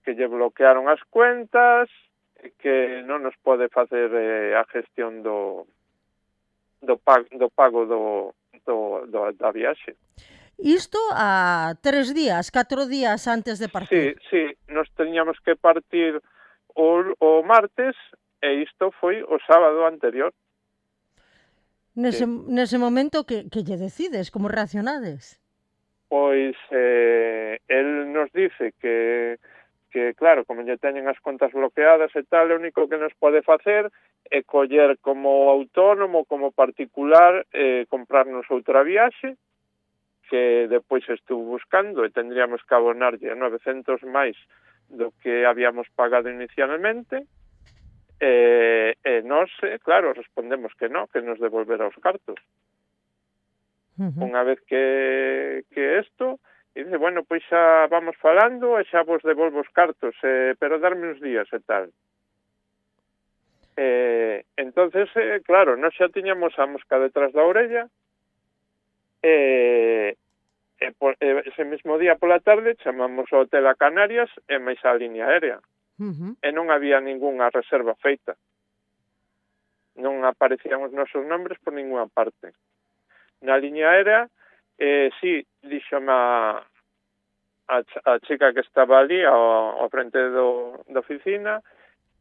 que lle bloquearon as cuentas, e que non nos pode facer eh, a gestión do do pago do, pago do, do, do da viaxe. Isto a tres días, catro días antes de partir. Sí, sí, nos teníamos que partir o, o martes e isto foi o sábado anterior. Nese, sí. nese momento, que, que lle decides? Como reaccionades? Pois eh, el nos dice que, que, claro, como lle teñen as contas bloqueadas e tal, o único que nos pode facer é coller como autónomo, como particular, eh, comprarnos outra viaxe, que depois estuvo buscando e tendríamos que abonarlle novecentos máis do que habíamos pagado inicialmente. E, e nós, claro, respondemos que no, que nos devolverá os cartos. Uh-huh. Unha vez que, que esto, e dice, bueno, pois xa vamos falando e xa vos devolvo os cartos, eh, pero darme uns días e tal. Eh, entonces, eh, claro, nós xa tiñamos a mosca detrás da orella, e, e, por, e ese mesmo día pola tarde chamamos ao hotel a Canarias e máis a línea aérea. Uh-huh. E non había ningunha reserva feita. Non aparecían os nosos nombres por ninguna parte. Na liña aérea, eh, sí, díxome a, a, a chica que estaba ali ao, ao frente do, da oficina,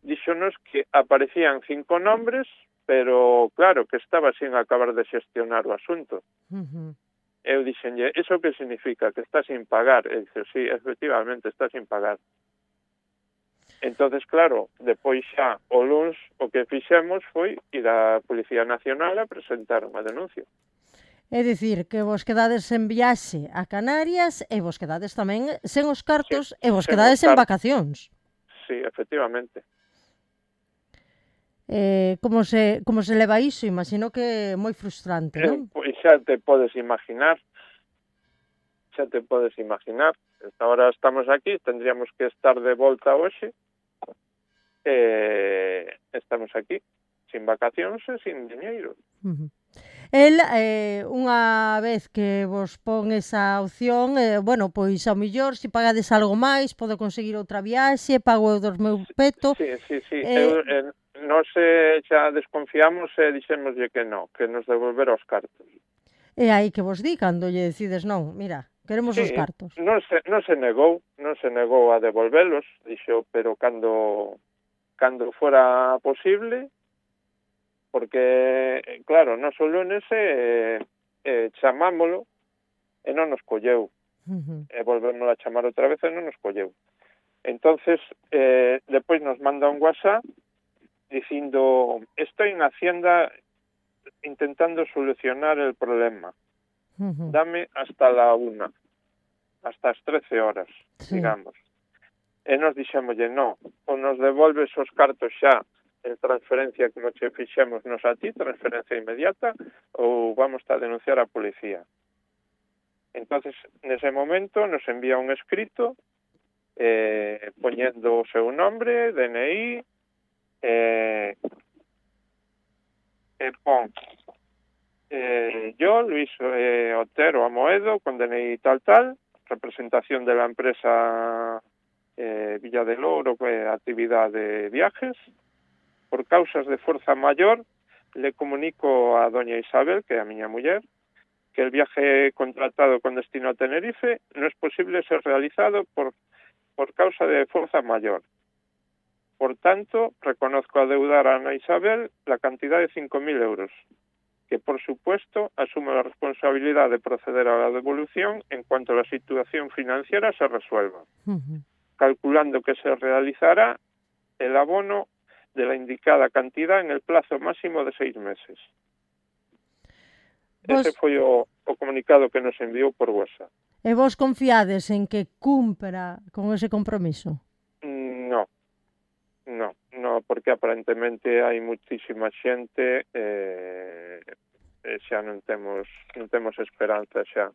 díxonos que aparecían cinco nombres, pero claro, que estaba sin acabar de xestionar o asunto. Uh-huh. Eu dixenlle, iso que significa? Que está sin pagar? E dixe, sí, efectivamente, está sin pagar. Entonces, claro, depois xa o luns o que fixemos foi ir á Policía Nacional a presentar unha denuncia. É dicir, que vos quedades en viaxe a Canarias e vos quedades tamén sen os cartos sí, e vos quedades en vacacións. Sí, efectivamente. Eh, como se como se leva iso? Imagino que é moi frustrante, non? Eh, pois xa te podes imaginar. Xa te podes imaginar. Ahora estamos aquí, tendríamos que estar de volta hoxe. Eh, estamos aquí, sin vacacións e sin diñeiro. Uh-huh. El, eh, unha vez que vos pon esa opción, eh, bueno, pois ao millor, se pagades algo máis, podo conseguir outra viaxe, pago eu dos meu peto. Sí, sí, sí. Eh... Eu, eh, nós eh, xa desconfiamos e dixémoslle que non, que nos devolver os cartos. E aí que vos di cando lle decides non, mira, queremos Sí, os cartos. non se, non se negou, non se negou a devolvelos, dixo, pero cando cando fora posible, porque, claro, nos o lunes eh, eh, chamámolo e non nos colleu. Uh-huh. E volvemos a chamar outra vez e non nos colleu. Entonces, eh, despois nos manda un WhatsApp dicindo, estoy en Hacienda intentando solucionar el problema. Uh-huh. Dame hasta la una, hasta as trece horas, Sí. digamos. E nos dixémoslle, no, ou nos devolves os cartos xa en transferencia como che fixemos nos a ti, transferencia inmediata, ou vamos a denunciar a policía. Entonces, nese momento, nos envía un escrito eh, poñendo o seu nombre, D N I, eh, e pon eh, yo, Luis eh, Otero Amoedo, con D N I tal tal, representación de la empresa eh, Villa del Ouro, eh, actividad de viajes. Por causas de fuerza mayor, le comunico a doña Isabel, que é a miña muller, que el viaje contratado con destino a Tenerife no es posible ser realizado por, por causa de fuerza mayor. Por tanto, reconozco adeudar a Ana Isabel la cantidad de cinco mil euros, que por supuesto asume la responsabilidad de proceder a la devolución en cuanto la situación financiera se resuelva, Uh-huh. calculando que se realizará el abono de la indicada cantidad en el plazo máximo de seis meses. Vos... Ese foi o, o comunicado que nos enviou por WhatsApp. E vos confiades en que cumpra con ese compromiso? No, no, no, porque aparentemente hai muchísima xente eh, e xa non temos, non temos esperanza xa.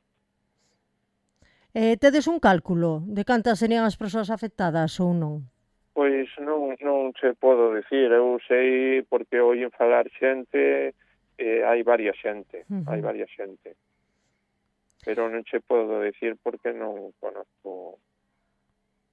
Eh, tedes un cálculo de cantas serían as persoas afectadas ou non? Pois non, non se podo dicir, eu sei porque oín falar xente, eh, hai varias xente, Uh-huh. hai varias xente. Pero non se podo dicir porque non conozco,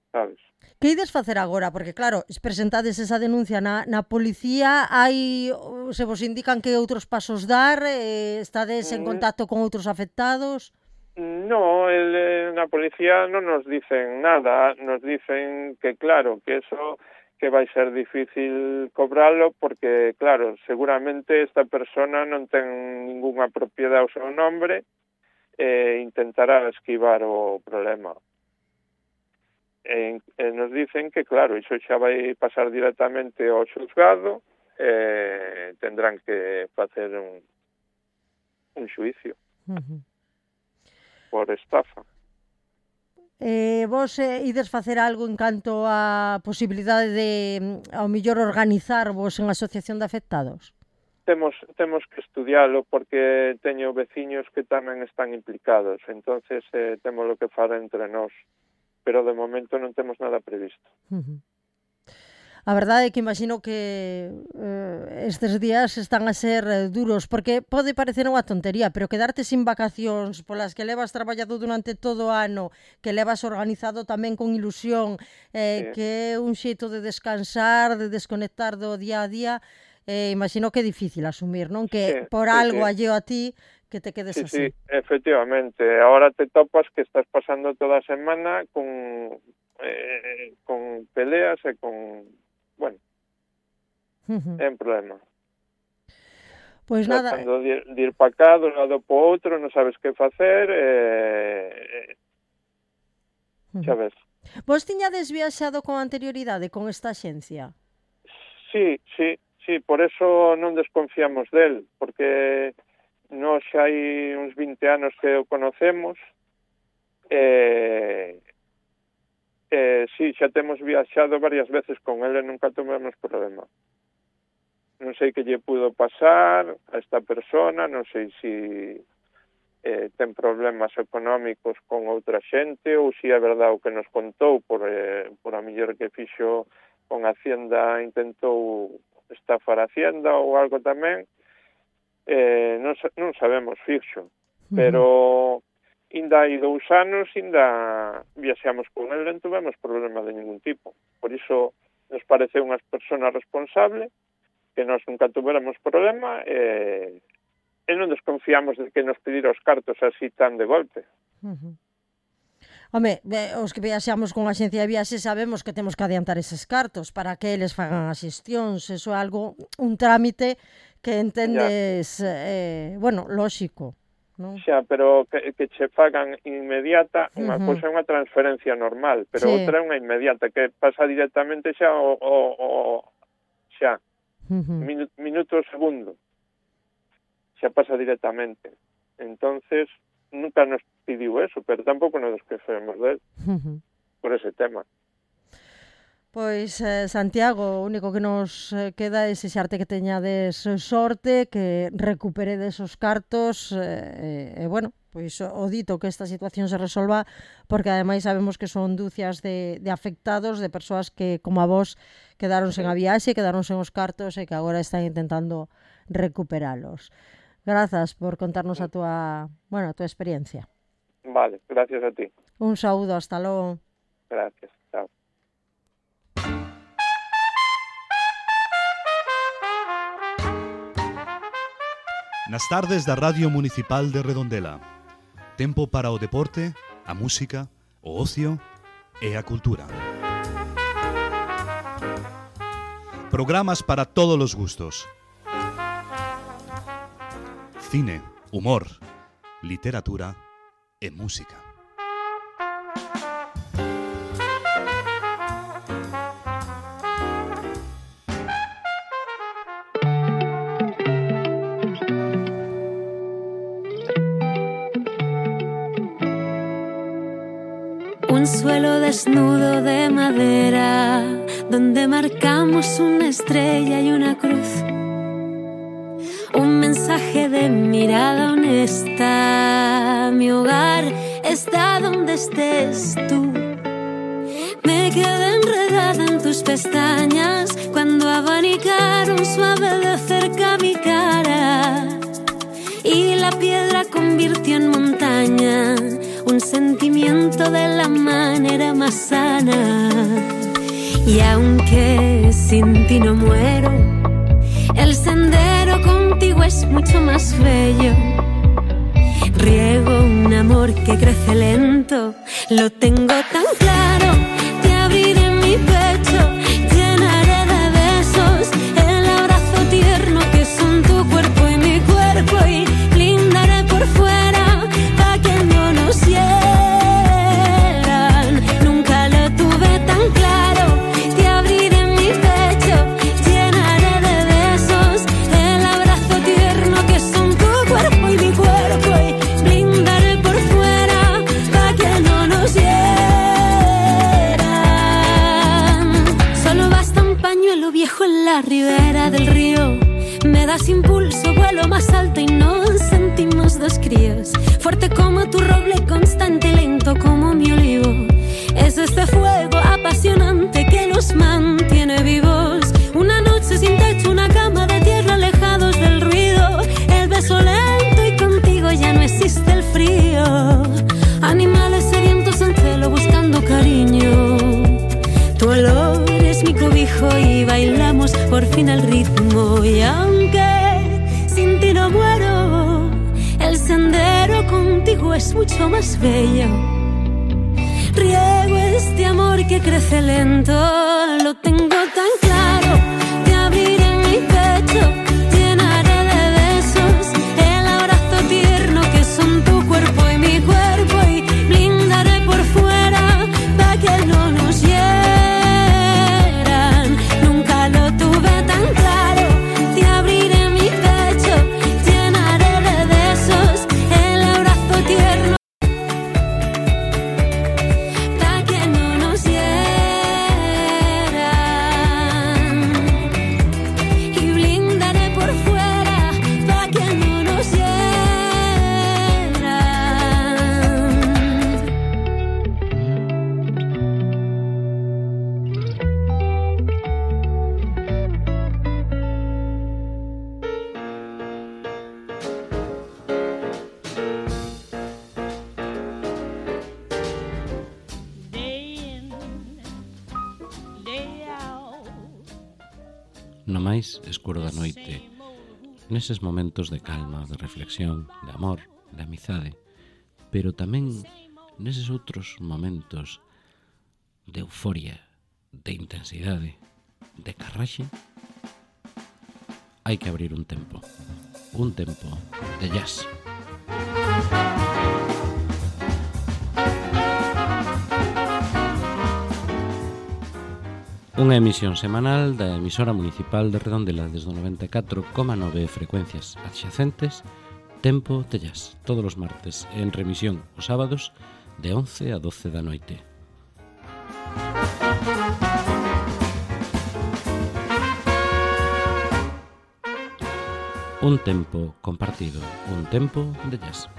sabes? Que ides facer agora? Porque claro, se presentades esa denuncia na, na policía, hai, se vos indican que outros pasos dar, eh, estades en contacto con outros afectados? No, el, eh, na policía non nos dicen nada, nos dicen que claro, que eso que vai ser difícil cobralo porque, claro, seguramente esta persona non ten ningunha propiedade ao seu nombre e intentará esquivar o problema. E, e nos dicen que, claro, iso xa vai pasar directamente ao xuzgado e tendrán que facer un, un xuicio. Uh-huh. Por estafa. Eh, vos eh, ides facer algo en canto a posibilidade de, ao mellor, organizarvos en asociación de afectados? Temos, temos que estudialo porque teño veciños que tamén están implicados, entonces eh, temos lo que fara entre nós, pero de momento non temos nada previsto. Uh-huh. A verdade é que imagino que eh, estes días están a ser eh, duros, porque pode parecer unha tontería, pero quedarte sin vacacións polas que levas traballado durante todo o ano, que levas organizado tamén con ilusión, eh, Sí. que é un xeito de descansar, de desconectar do día a día, eh, imagino que é difícil asumir, non? Que Sí, por sí, algo sí. alleo a ti que te quedes Sí, así. sí, efectivamente. Ahora te topas que estás pasando toda a semana con, eh, con peleas e con... Bueno, Uh-huh. é un problema. Pois nada, Tratando de ir, de ir para cá, de un lado para outro, non sabes que facer, e... uh-huh. xa ves. Vos tiñades viaxado con anterioridade con esta axencia? Sí, sí, sí, por eso non desconfiamos del, porque nós xa hai uns vinte anos que o conocemos, e... Eh, sí, xa temos viaxado varias veces con ele e nunca tivemos problema. Non sei que lle pudo pasar a esta persona, non sei se eh, ten problemas económicos con outra xente ou se é verdade o que nos contou por, eh, por a mellor que fixo con Hacienda, intentou estafar a Hacienda ou algo tamén. Eh, non, non sabemos fixo, pero... Inda hai dous anos, inda viaxamos con ele, non tivemos problema de ningún tipo. Por iso nos parece unha persona responsable que nós nunca tuveramos problema e, e non desconfiamos de que nos pedir os cartos así tan de golpe. Uh-huh. Home, os que viaxamos con a axencia de viaxes sabemos que temos que adiantar eses cartos para que eles fagan as xestións. Eso é algo, un trámite que entendes, eh, bueno, lóxico. Non? Xa, pero que, que che fagan inmediata, unha Uh-huh. cousa é unha transferencia normal, pero Sí. outra é unha inmediata, que pasa directamente xa o, o, o xa, Uh-huh. minu, minuto segundo, xa pasa directamente. Entonces, nunca nos pidiu eso, pero tampouco nos desquecemos del, Uh-huh. por ese tema. Pois, eh, Santiago, o único que nos eh, queda é xexarte que teñades sorte, que recuperedes os cartos, e, eh, eh, bueno, pois o dito que esta situación se resolva, porque ademais sabemos que son dúcias de, de afectados, de persoas que, como a vos, quedaron sen a viaxe, quedaron sen os cartos e que agora están intentando recuperalos. Grazas por contarnos a túa, bueno, a túa experiencia. Vale, gracias a ti. Un saúdo, hasta logo. Gracias, chao. Nas tardes da Radio Municipal de Redondela. Tempo para o deporte, a música, o ocio e a cultura. Programas para todos os gustos. Cine, humor, literatura e música. Un suelo desnudo de madera, donde marcamos una estrella y una cruz. Un mensaje de mirada honesta. Mi hogar está donde estés tú. Me quedé enredada en tus pestañas cuando abanicaron suave de cerca mi cara. Y la piedra convirtió en montaña un sentimiento de la manera más sana. Y aunque sin ti no muero, el sendero contigo es mucho más bello. Riego un amor que crece lento, lo tengo tan claro. Te abriré mi pecho, llenaré de besos el abrazo tierno que son tu cuerpo y mi cuerpo, y blindaré por fuera pa' que no nos hieran. Nunca lo tuve tan claro. Te abriré mi pecho, llenaré de besos el abrazo tierno que son tu cuerpo y mi cuerpo, y blindaré por fuera pa' que no nos hieran. Solo basta un pañuelo viejo en la ribera del río. Me das impulso, vuelo más alto y nos sentimos dos críos. Fuerte como tu roble, constante y lento como mi olivo. Es este fuego apasionante que nos mantiene vivos. Una noche sin techo, una cama de tierra, alejados del ruido. El beso lento y contigo ya no existe el frío. Animales sedientos en celo buscando cariño. Tu olor es mi cobijo y bailamos por fin al ritmo. Y aunque sin ti no muero, el sendero contigo es mucho más bello. Riego este amor que crece lento, lo tengo tan claro. Te abriré mi pecho, llenaré de besos el abrazo tierno que son tu cuerpo y mi cuerpo, y blindaré por fuera pa' que no nos hieran. Nunca lo tuve tan claro. Te abriré mi pecho, llenaré de besos el abrazo tierno pa' que no nos hieran. no máis escuro da noite, neses momentos de calma, de reflexión, de amor, de amizade, pero tamén neses outros momentos de euforia, de intensidade, de carraxe, hai que abrir un tempo, un tempo de jazz. Unha emisión semanal da emisora municipal de Redondela desde o noventa e catro coma nove frecuencias adxacentes, Tempo de Jazz, todos os martes, en remisión os sábados de once a doce da noite. Un tempo compartido, un tempo de jazz.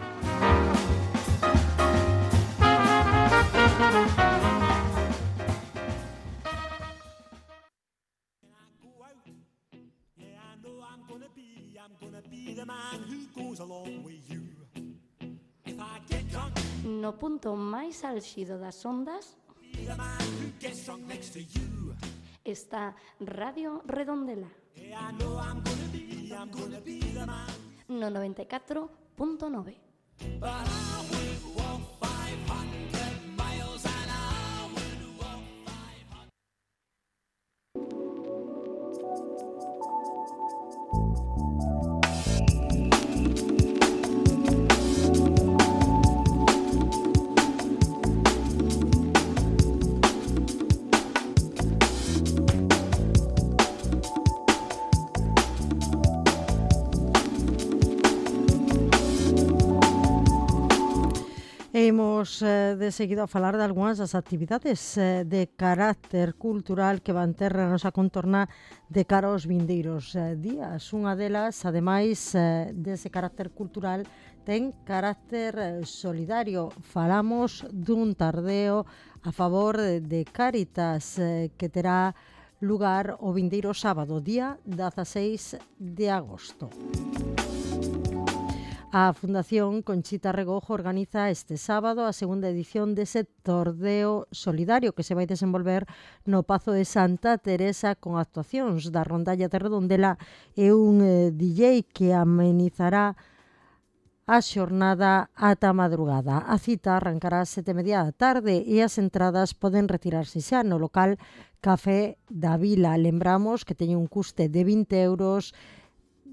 No punto máis álxido das ondas está Radio Redondela no noventa e catro punto nove. Imos eh, de seguido a falar de algunhas das actividades eh, de carácter cultural que van ter a nosa contorna de cara aos vindeiros eh, días. Unha delas, ademais eh, dese carácter cultural, ten carácter eh, solidario. Falamos dun tardeo a favor de, de Cáritas eh, que terá lugar o vindeiro sábado, día dezaseis de agosto. A Fundación Conchita Regojo organiza este sábado a segunda edición dese tordeo solidario que se vai desenvolver no Pazo de Santa Teresa con actuacións da Rondalla de Redondela e un eh, D J que amenizará a xornada ata madrugada. A cita arrancará ás sete e media da tarde e as entradas poden retirarse xa no local Café da Vila. Lembramos que teñen un custe de vinte euros,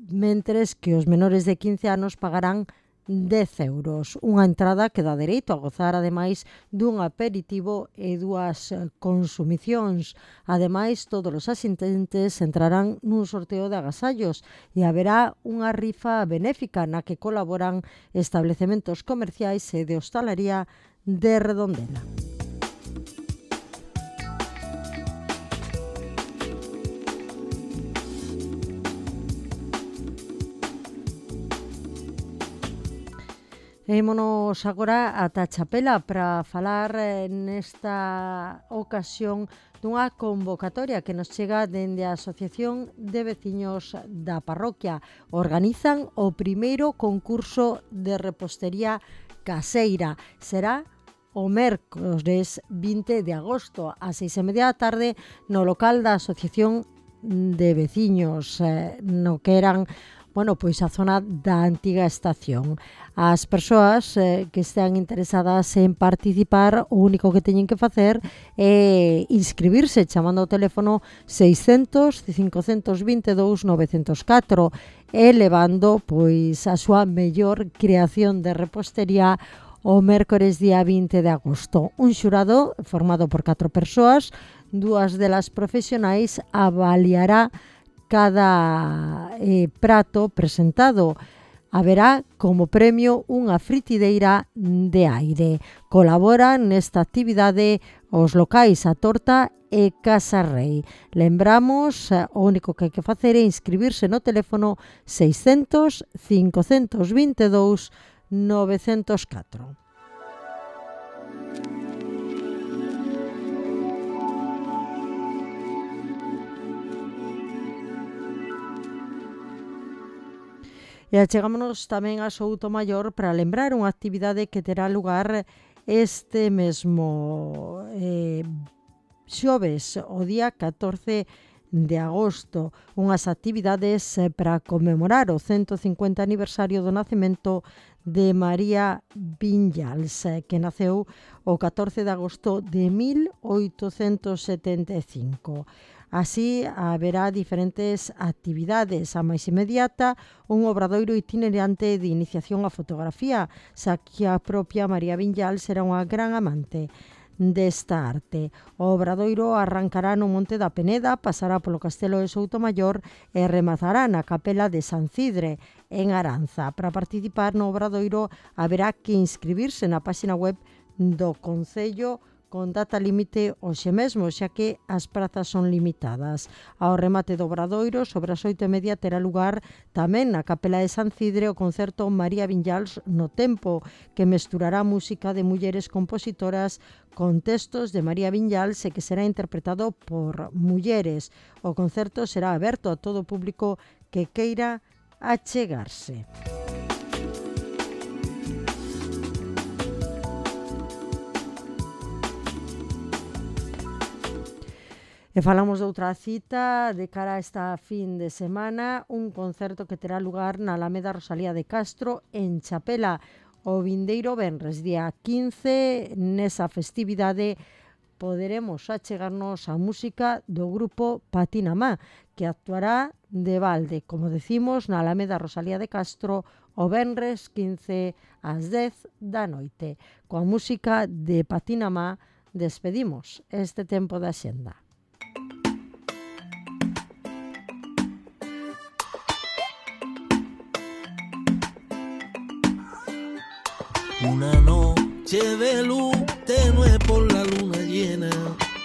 mentres que os menores de quince anos pagarán dez euros. Unha entrada que dá dereito a gozar, ademais, dun aperitivo e dúas consumicións. Ademais, todos os asistentes entrarán nun sorteo de agasallos e haberá unha rifa benéfica na que colaboran establecementos comerciais e de hostalaría de Redondela. Ímonos agora ata Chapela para falar eh, nesta ocasión dunha convocatoria que nos chega dende a Asociación de Veciños da Parroquia. Organizan o primeiro concurso de repostería caseira. Será o mércores vinte de agosto ás seis e media da tarde no local da Asociación de Veciños, eh, no que eran bueno, pois a zona da antiga estación. As persoas eh, que estean interesadas en participar, o único que teñen que facer é inscribirse chamando ao teléfono seiscentos, cincocentos vinte e dous, novecentos e catro e levando pois a súa mellor creación de repostería o mércores día vinte de agosto. Un xurado formado por catro persoas, dúas delas profesionais, avaliará cada eh, prato presentado. Haberá como premio unha fritideira de aire. Colaboran nesta actividade os locais A Torta e Casa Rei. Lembramos, o único que hai que facer é inscribirse no teléfono seiscentos, cincocentos vinte e dous, novecentos e catro. E achegámonos tamén a Soutomaior para lembrar unha actividade que terá lugar este mesmo eh, xoves, o día catorce de agosto, unhas actividades para conmemorar o ciento cincuenta aniversario do nacemento de María Viñals, que naceu o catorce de agosto de mil oitocentos setenta e cinco. Así, haberá diferentes actividades. A máis inmediata, un obradoiro itinerante de iniciación á fotografía, xa que a propia María Viñals era unha gran amante desta arte. O obradoiro arrancará no Monte da Peneda, pasará polo Castelo de Soutomaior e rematará na Capela de San Cidre, en Aranza. Para participar no obradoiro haberá que inscribirse na páxina web do Concello con data límite hoxe mesmo, xa que as prazas son limitadas. Ao remate do obradoiro, sobre as oito e media, terá lugar tamén na Capela de San Cidre o concerto María Viñals no Tempo, que mesturará música de mulleres compositoras con textos de María Viñals e que será interpretado por mulleres. O concerto será aberto a todo o público que queira achegarse. E falamos de outra cita de cara a esta fin de semana, un concerto que terá lugar na Alameda Rosalía de Castro en Chapela o vindeiro venres, día quince. Nesa festividade poderemos achegarnos a música do grupo Patinamá, que actuará de balde, como decimos, na Alameda Rosalía de Castro o venres quince ás dez da noite. Coa música de Patinamá despedimos este tempo da xenda. Una noche de luz tenue por la luna llena,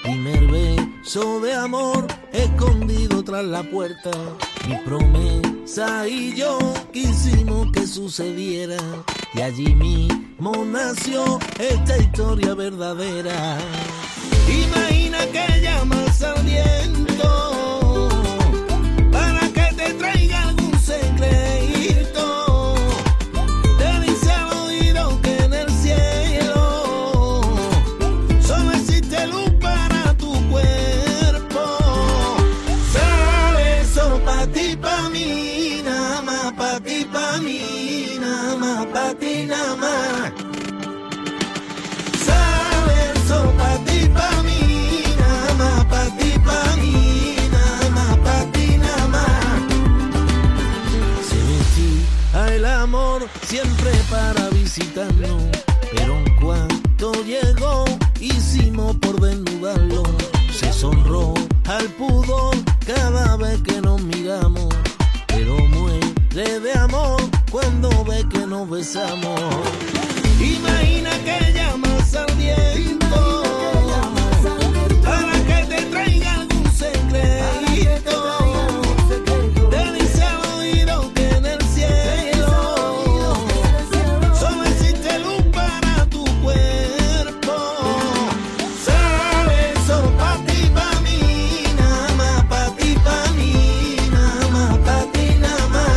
primer beso de amor escondido tras la puerta. Mi promesa y yo quisimos que sucediera, y allí mismo nació esta historia verdadera. Imagina que llamas al viento para que te traiga algún secreto. Patinamá, sabe eso pa' ti, pa' mí, nada más pa' ti, pa' mí, nada más pa' ti, nada más. Se vestía el amor siempre para visitarnos, pero en cuanto llegó hicimos por desnudarlo. Se sonró al pudor cada vez que nos miramos, pero muere de amor cuando ve que nos besamos. Imagina que llamas al viento para que te traiga algún secreto. Te dice al oído que en el cielo solo existe luz para tu cuerpo. Sabe eso pa' ti, pa' mí, nada más pa' ti, pa' mí, nada más pa' ti, nada más.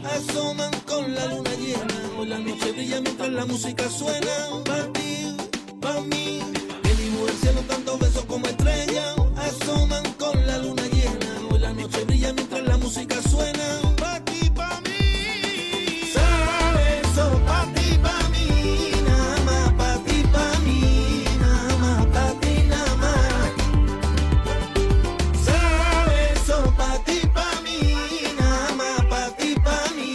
Asoman con la luna llena, hoy la noche brilla mientras la música suena. Pa' ti, pa' mí, que dibuja el cielo tantos besos como estrellas. Asoman con la luna llena, hoy la noche brilla mientras la música suena. Pa' ti, pa' mí, sabe eso, pa' ti, pa' mí, nada más pa' ti, pa' mí, nada más pa' ti, nada más. Sabe eso, pa' ti, pa' mí, nada más pa' ti, pa' mí.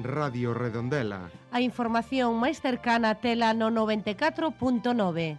Radio Redondela. A información máis cercana tela no noventa e catro punto nove.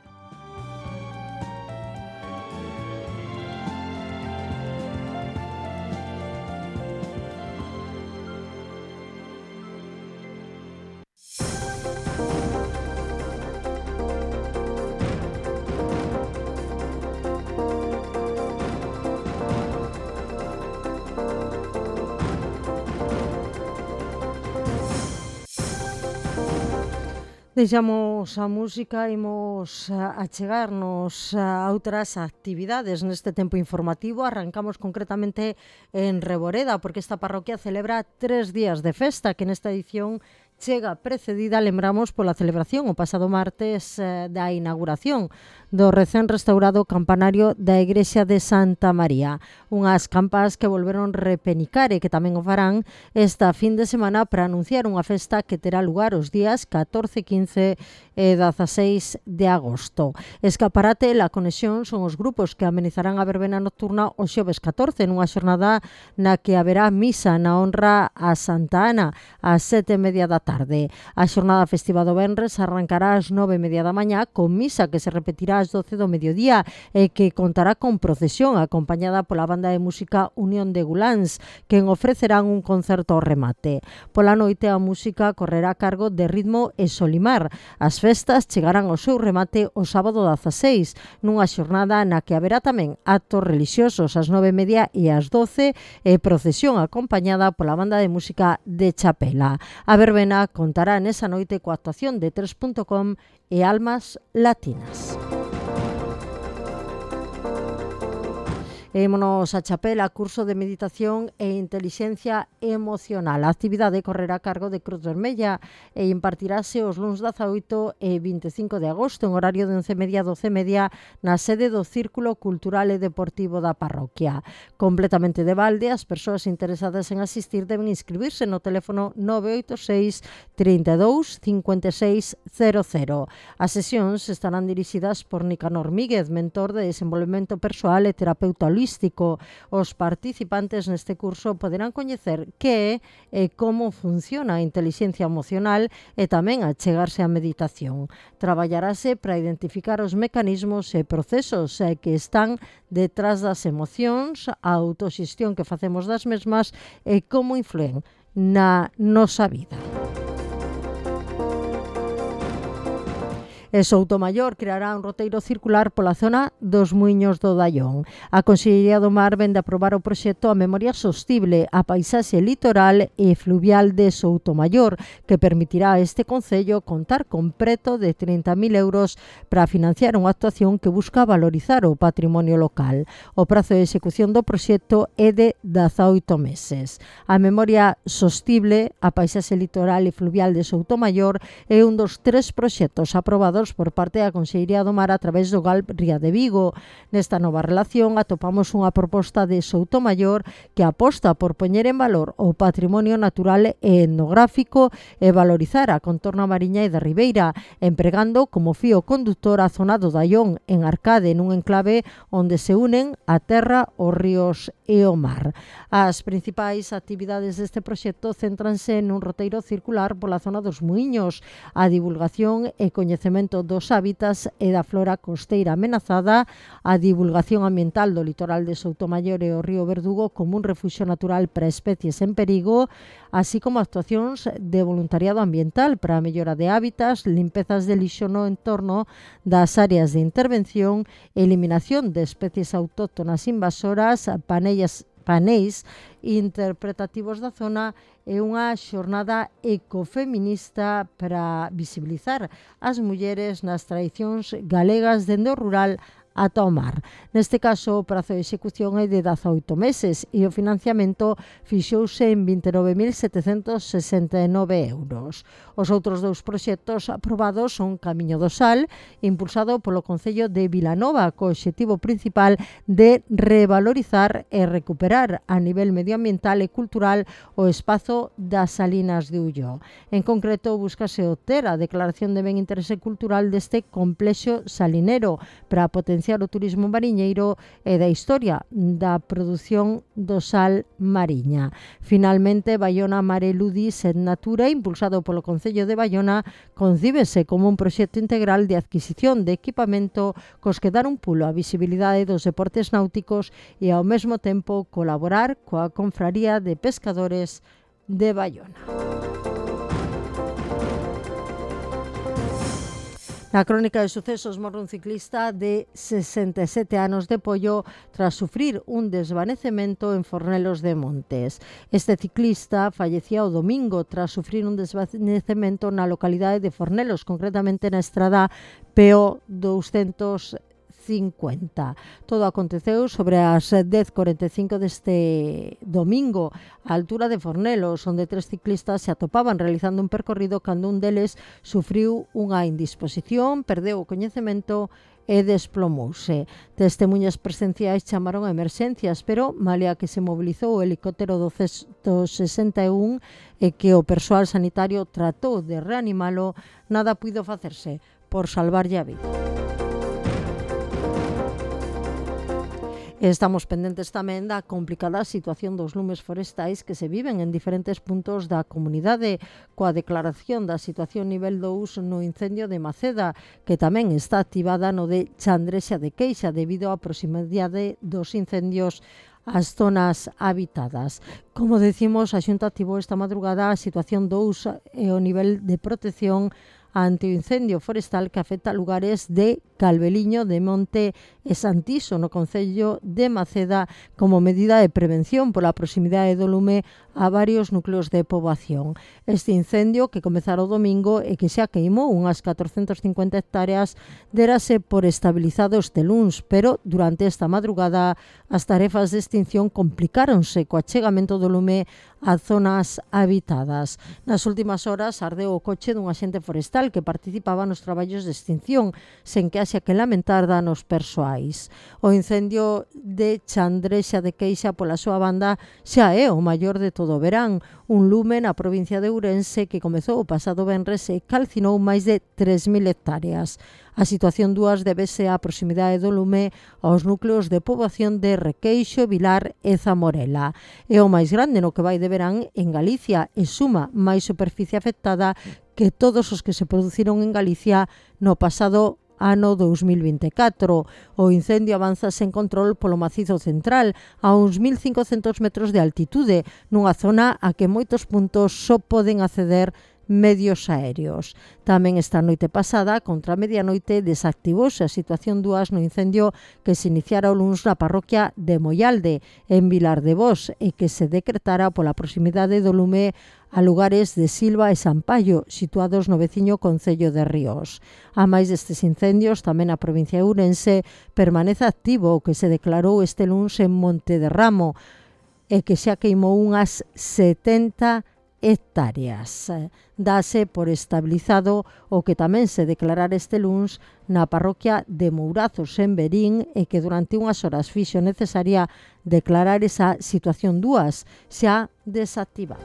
Deixamos a música, imos a chegarnos a outras actividades neste tempo informativo. Arrancamos concretamente en Reboreda, porque esta parroquia celebra tres días de festa, que nesta edición chega precedida, lembramos, pola celebración o pasado martes eh, da inauguración do recén restaurado campanario da Igrexa de Santa María. Unhas campas que volveron repenicar e que tamén o farán esta fin de semana para anunciar unha festa que terá lugar os días catorce, quince e dezaseis de agosto. Escaparate e La Conexión son os grupos que amenizarán a verbena nocturna o xoves catorce, nunha xornada na que haberá misa na honra a Santa Ana ás sete e media da tarde. A xornada festiva do venres arrancará ás nove e media da mañá con misa que se repetirá ás doce do mediodía e que contará con procesión acompañada pola banda de música Unión de Guláns, quen ofrecerán un concerto ao remate. Pola noite a música correrá a cargo de Ritmo e Solimar. As festas chegarán ao seu remate o sábado dezaseis, nunha xornada na que haberá tamén actos relixiosos ás nove e media e ás doce e procesión acompañada pola banda de música de Chapela. A verbena contará nesa noite coa actuación de tres punto com e Almas Latinas. Émonos a Chapela, curso de meditación e inteligencia emocional. A actividade correrá a cargo de Cruz Vermella e impartirase os luns dezaoito e vinte e cinco de agosto en horario de once e media a doce e media na sede do Círculo Cultural e Deportivo da parroquia. Completamente de balde, as persoas interesadas en asistir deben inscribirse no teléfono nove oito seis, trinta e dous, cincuenta e seis cero cero. As sesións estarán dirixidas por Nicanor Míguez, mentor de desenvolvemento persoal e terapeuta holístico. Os participantes neste curso poderán coñecer que é e como funciona a inteligencia emocional e tamén achegarse á meditación. Traballarase para identificar os mecanismos e procesos que están detrás das emocións, a autoxestión que facemos das mesmas e como influen na nosa vida. E Soutomaior creará un roteiro circular pola zona dos Muiños do Daión. A Consellería do Mar vende a aprobar o proxecto A Memoria Sostible, a paisaxe litoral e fluvial de Soutomaior, que permitirá a este concello contar con preto de trinta mil euros para financiar unha actuación que busca valorizar o patrimonio local. O prazo de execución do proxecto é de dezaoito meses. A Memoria Sostible, a paisaxe litoral e fluvial de Soutomaior, é un dos tres proxectos aprobados por parte da Consellería do Mar a través do G A L Ría de Vigo. Nesta nova relación atopamos unha proposta de Soutomaior que aposta por poñer en valor o patrimonio natural e etnográfico e valorizar a contorna mariña e da ribeira, empregando como fío conductor a zona do Daión en Arcade, nun enclave onde se unen a terra, os ríos e o mar. As principais actividades deste proxecto céntranse nun roteiro circular pola zona dos Muiños, a divulgación e coñecemento dos hábitats e da flora costeira amenazada, a divulgación ambiental do litoral de Soutomaior e o río Verdugo como un refuxio natural para especies en perigo, así como actuacións de voluntariado ambiental para a mellora de hábitats, limpezas de lixo no entorno das áreas de intervención, eliminación de especies autóctonas invasoras, panellas paneis interpretativos da zona e unha xornada ecofeminista para visibilizar as mulleres nas tradicións galegas dende o rural ata o mar. Neste caso, o prazo de execución é de dezaoito meses e o financiamento fixouse en vinte e nove mil setecentos sesenta e nove euros. Os outros dous proxectos aprobados son Camiño do Sal, impulsado polo Concello de Vilanova, co obxectivo principal de revalorizar e recuperar a nivel medioambiental e cultural o espazo das Salinas de Ulló. En concreto, búscase obter a declaración de ben interese cultural deste complexo salinero para potenciar o turismo mariñeiro e da historia da produción do sal mariña. Finalmente, Baiona Mare Ludis et Natura, impulsado polo Concello de Baiona, concíbese como un proxecto integral de adquisición de equipamento cos que dar un pulo á visibilidade dos deportes náuticos e ao mesmo tempo colaborar coa Confraría de Pescadores de Baiona. Na crónica de sucesos morre un ciclista de sesenta e sete anos de Pollo tras sufrir un desvanecemento en Fornelos de Montes. Este ciclista fallecía o domingo tras sufrir un desvanecemento na localidade de Fornelos, concretamente na estrada P O doscientos cincuenta. Todo aconteceu sobre as dez cuarenta e cinco deste domingo, á altura de Fornelos, onde tres ciclistas se atopaban realizando un percorrido cando un deles sufriu unha indisposición, perdeu o coñecemento e desplomouse. Testemunhas presenciais chamaron a emerxencias, pero malia que se mobilizou o helicóptero doscientos sesenta e un e que o persoal sanitario tratou de reanimalo, nada puido facerse por salvarlle a vida. Estamos pendentes tamén da complicada situación dos lumes forestais que se viven en diferentes puntos da comunidade, coa declaración da situación nivel dous no incendio de Maceda, que tamén está activada no de Chandrexa de Queixa debido á proximidade dos incendios ás zonas habitadas. Como decimos, a Xunta activou esta madrugada a situación dous e o nivel de protección ante o incendio forestal que afecta lugares de Calveliño, de Monte e Santiso, no concello de Maceda, como medida de prevención pola proximidade do lume a varios núcleos de poboación. Este incendio, que comezara o domingo e que xa queimou unhas catrocentas cincuenta hectáreas, derase por estabilizado este luns, pero durante esta madrugada as tarefas de extinción complicáronse co achegamento do lume a zonas habitadas. Nas últimas horas ardeu o coche dun axente forestal que participaba nos traballos de extinción, sen que haxa que lamentar danos persoais. O incendio de Chandrexa de Queixa, pola súa banda, xa é o maior de todo o verán, un lume na provincia de Ourense que comezou o pasado venres e calcinou máis de tres mil hectáreas. A situación dúas debese á proximidade do lume aos núcleos de poboación de Requeixo, Vilar e Zamorela. É o máis grande no que vai de verán en Galicia e suma máis superficie afectada que todos os que se produciron en Galicia no pasado ano dous mil vinte e catro. O incendio avanza sen control polo macizo central a uns mil cincocentos metros de altitude, nunha zona a que moitos puntos só poden acceder medios aéreos. Tamén esta noite pasada, contra a medianoite, desactivouse a situación dúas no incendio que se iniciara o luns na parroquia de Moialde, en Vilar de Vos, e que se decretara pola proximidade do lume a lugares de Silva e Sampaio, situados no veciño concello de Ríos. A máis destes incendios, tamén a provincia de Ourense permanece activo o que se declarou este luns en Monte de Ramo, e que xa queimou unhas setenta hectáreas. Dase por estabilizado o que tamén se declarara este luns na parroquia de Mourazos en Verín e que durante unhas horas fixo necesaria declarar esa situación dúas xa desactivada.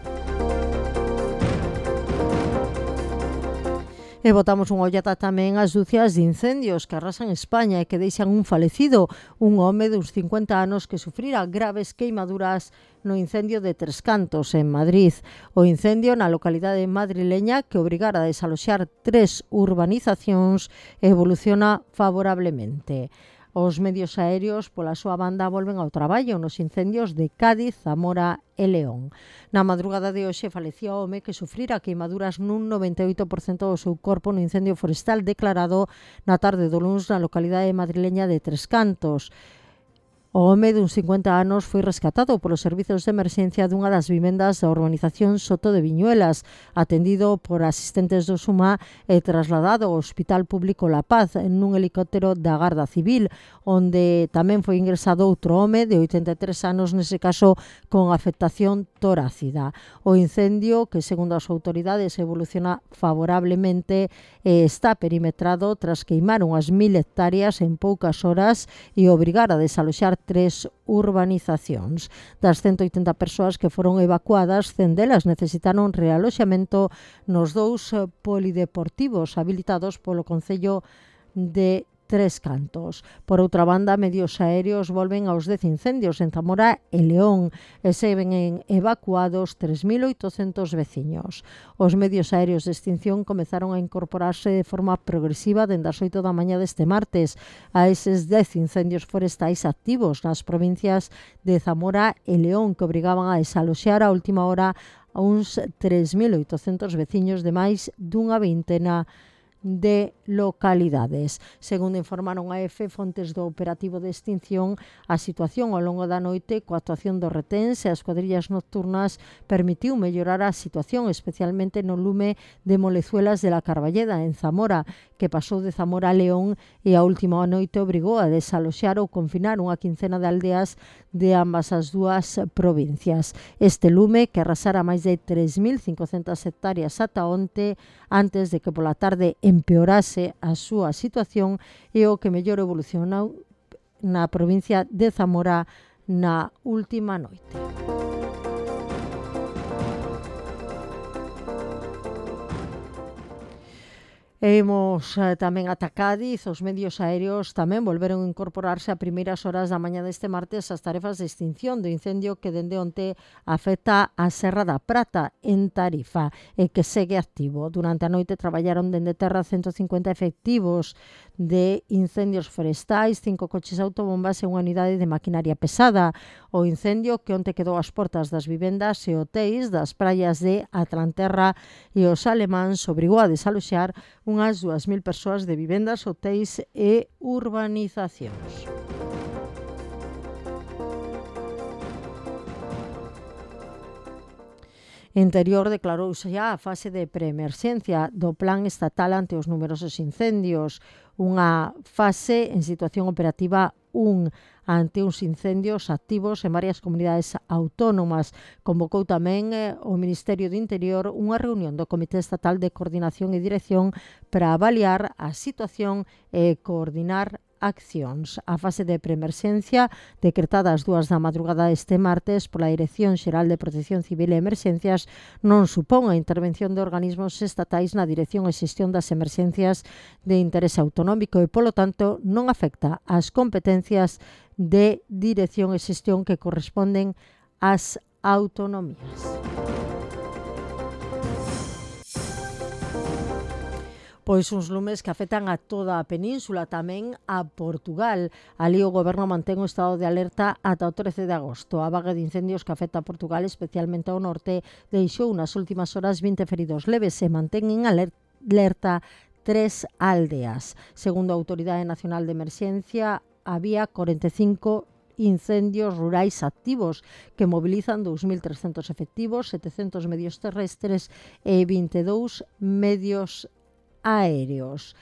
E botamos unha ollada tamén ás dúcias de incendios que arrasan España e que deixan un falecido, un home de uns cincuenta anos que sufrira graves queimaduras no incendio de Tres Cantos, en Madrid. O incendio na localidade madrileña que obrigara a desaloxar tres urbanizacións evoluciona favorablemente. Os medios aéreos, pola súa banda, volven ao traballo nos incendios de Cádiz, Zamora e León. Na madrugada de hoxe falecía o home que sufrira queimaduras nun noventa e oito por cento do seu corpo no incendio forestal declarado na tarde do luns na localidade madrileña de Tres Cantos. O home duns cincuenta anos foi rescatado polos servizos de emerxencia dunha das vivendas da urbanización Soto de Viñuelas, atendido por asistentes do SUMA e trasladado ao Hospital Público La Paz nun helicóptero da Garda Civil, onde tamén foi ingresado outro home de oitenta e tres anos, nese caso con afectación torácida. O incendio, que segundo as autoridades evoluciona favorablemente, está perimetrado tras queimar unhas mil hectáreas en poucas horas e obrigar a desaloxar tres urbanizacións. Das ciento oitenta persoas que foron evacuadas, cen delas necesitaron realoxamento nos dous polideportivos habilitados polo Concello de Tres Cantos. Por outra banda, medios aéreos volven aos dez incendios en Zamora e León e se ven evacuados tres mil oitocentos veciños. Os medios aéreos de extinción comezaron a incorporarse de forma progresiva dende as oito da mañá deste martes a eses dez incendios forestais activos nas provincias de Zamora e León, que obrigaban a desaloxar a última hora a uns tres mil oitocentos veciños de máis dunha vintena de localidades. Segundo informaron a EFE fontes do operativo de extinción, a situación ao longo da noite coa actuación dos reténs e as cuadrillas nocturnas permitiu mellorar a situación, especialmente no lume de Molezuelas de la Carballeda, en Zamora, que pasou de Zamora a León e a última noite obrigou a desaloxar ou confinar unha quincena de aldeas de ambas as dúas provincias. Este lume, que arrasara máis de tres mil cincocentas hectáreas ata onte, antes de que pola tarde empeorase a súa situación, e o que mellor evolucionou na provincia de Zamora na última noite. Imos eh, tamén ata Cádiz. Os medios aéreos tamén volveron a incorporarse a primeiras horas da mañá deste martes ás tarefas de extinción do incendio que dende onte afecta a Serra da Prata en Tarifa e que segue activo. Durante a noite traballaron dende terra ciento cincuenta efectivos de incendios forestais, cinco coches autobombas e unha unidade de maquinaria pesada. O incendio que onte quedou ás portas das vivendas e hotéis das praias de Atlanterra e os Alemáns obrigou a desaloxar unhas dúas mil persoas de vivendas, hotéis e urbanizacións. Interior declarouse xa a fase de preemerxencia do Plan Estatal ante os numerosos incendios, unha fase en situación operativa un ante uns incendios activos en varias comunidades autónomas. Convocou tamén eh, o Ministerio do Interior unha reunión do Comité Estatal de Coordinación e Dirección para avaliar a situación e coordinar accións. A fase de preemerxencia, decretada ás dúas da madrugada este martes pola Dirección Xeral de Protección Civil e Emerxencias, non supón a intervención de organismos estatais na dirección e xestión das emerxencias de interese autonómico e, polo tanto, non afecta ás competencias de dirección e xestión que corresponden ás autonomías. Pois uns lumes que afectan a toda a península, tamén a Portugal. Ali o goberno mantén o estado de alerta ata o trece de agosto. A vaga de incendios que afecta a Portugal, especialmente ao norte, deixou nas últimas horas vinte feridos leves e mantén en alerta tres aldeas. Segundo a Autoridade Nacional de Emerxencia, había cuarenta e cinco incendios rurais activos que mobilizan dous mil trescentos efectivos, setecentos medios terrestres e vinte e dous medios aéreos.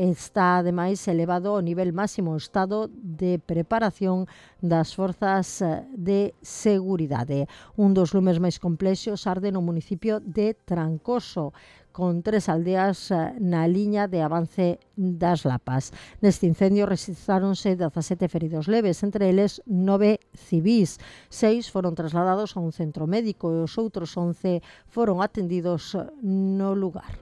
Está, ademais, elevado ao nivel máximo o estado de preparación das forzas de seguridade. Un dos lumes máis complexos arde no municipio de Trancoso, con tres aldeas na liña de avance das Lapas. Neste incendio rexistraronse dezasete feridos leves, entre eles nove civís. Seis foron trasladados a un centro médico e os outros once foron atendidos no lugar.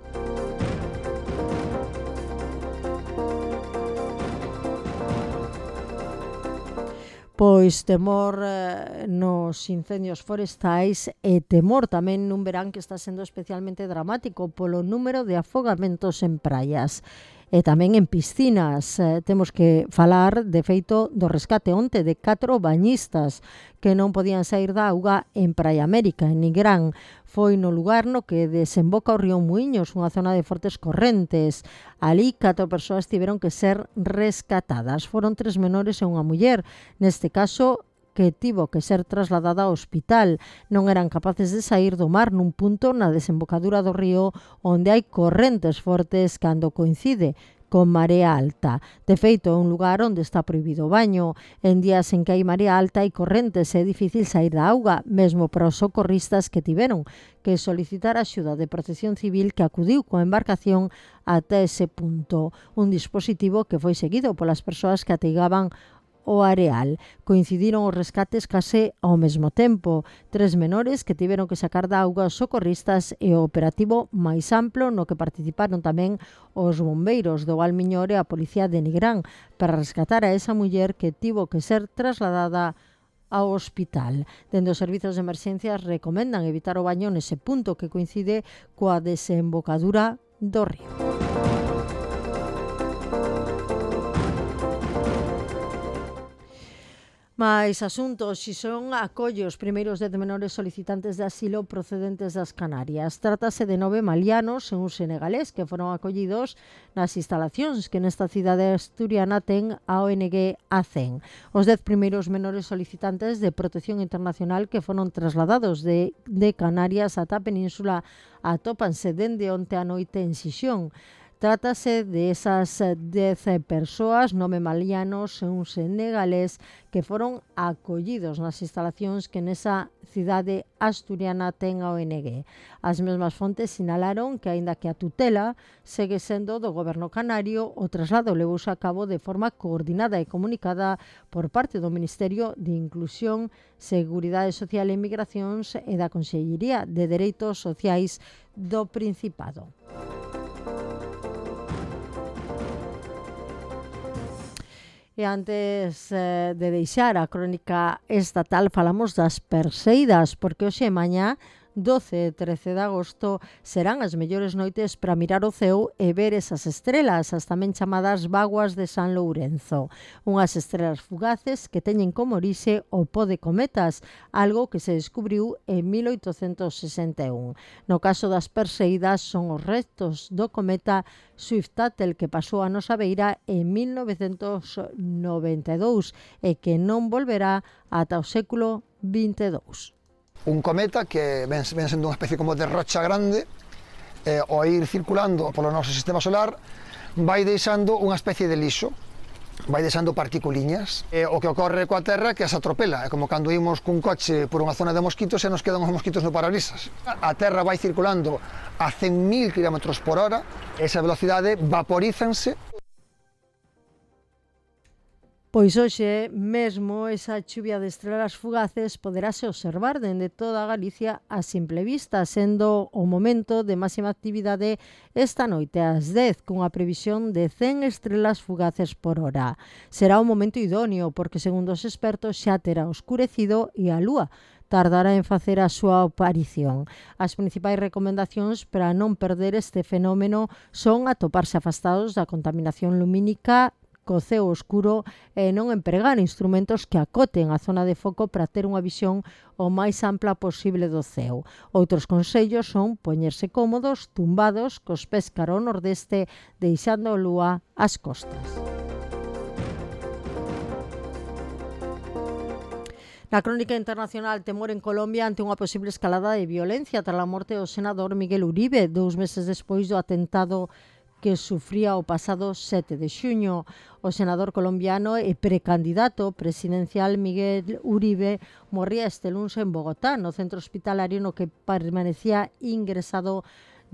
Pois temor eh, nos incendios forestais e temor tamén nun verán que está sendo especialmente dramático polo número de afogamentos en praias e tamén en piscinas. Eh, temos que falar, de feito, do rescate onte de catro bañistas que non podían sair da auga en Praia América, en Nigrán. Foi no lugar no que desemboca o río Muiños, unha zona de fortes correntes. Ali, catro persoas tiveron que ser rescatadas. Foron tres menores e unha muller. Neste caso, que tivo que ser trasladada ao hospital. Non eran capaces de sair do mar nun punto na desembocadura do río onde hai correntes fortes cando coincide con marea alta. De feito, é un lugar onde está prohibido o baño. En días en que hai marea alta e correntes é difícil sair da auga, mesmo para os socorristas que tiveron que solicitar a axuda de Protección Civil que acudiu coa embarcación ata ese punto. Un dispositivo que foi seguido polas persoas que ateigaban o areal. Coincidiron os rescates case ao mesmo tempo. Tres menores que tiveron que sacar da auga os socorristas e o operativo máis amplo no que participaron tamén os bombeiros do Valmiñor e a Policía de Nigrán para rescatar a esa muller que tivo que ser trasladada ao hospital. Dende os servizos de emerxencias recomendan evitar o baño nese punto que coincide coa desembocadura do río. Mais asuntos, si son acolle os primeiros dez menores solicitantes de asilo procedentes das Canarias. Trátase de nove malianos e un senegalés que foron acollidos nas instalacións que nesta cidade asturiana ten a O N G ACEN. Os dez primeiros menores solicitantes de protección internacional que foron trasladados de, de Canarias ata a península atópanse dende onte a noite en Xixón. Trátase de esas dez persoas, nove malianos e un senegalés que foron acollidos nas instalacións que nesa cidade asturiana ten a O N G. As mesmas fontes sinalaron que, aínda que a tutela segue sendo do goberno canario, o traslado levouse a cabo de forma coordinada e comunicada por parte do Ministerio de Inclusión, Seguridade Social e Migracións e da Consellería de Dereitos Sociais do Principado. E antes eh, de deixar a crónica estatal, falamos das perseidas, porque hoxe e mañá, doce e trece de agosto, serán as mellores noites para mirar o ceo e ver esas estrelas, as tamén chamadas vaguas de San Lourenzo. Unhas estrelas fugaces que teñen como orixe o pó de cometas, algo que se descubriu en mil oitocentos sesenta e un. No caso das perseidas, son os restos do cometa Swift-Tuttle que pasou a nosa beira en mil novecentos noventa e dous e que non volverá ata o século vinte e dous. Un cometa que ven, ven sendo unha especie como de rocha grande, eh, ao ir circulando polo noso sistema solar, vai deixando unha especie de lixo, vai deixando particuliñas. E o que ocorre coa Terra que as atropela, é como cando imos cun coche por unha zona de mosquitos e nos quedan os mosquitos no parabrisas. A Terra vai circulando a cen mil kilómetros por hora, esa velocidade vaporízanse. Pois hoxe mesmo esa chuvia de estrelas fugaces poderase observar dende toda Galicia a simple vista, sendo o momento de máxima actividade esta noite ás dez, cunha previsión de cen estrelas fugaces por hora. Será un momento idóneo porque, segundo os expertos, xa terá oscurecido e a lúa tardará en facer a súa aparición. As principais recomendacións para non perder este fenómeno son atoparse afastados da contaminación lumínica, co ceo oscuro e non empregar instrumentos que acoten a zona de foco para ter unha visión o máis ampla posible do ceo. Outros consellos son poñerse cómodos, tumbados, cos pés cara ao nordeste, deixando a lúa ás costas. Na crónica internacional, temor en Colombia ante unha posible escalada de violencia tras a morte do senador Miguel Uribe, dous meses despois do atentado que sufría o pasado sete de xuño. O senador colombiano e precandidato presidencial Miguel Uribe morría este luns en Bogotá, no centro hospitalario no que permanecía ingresado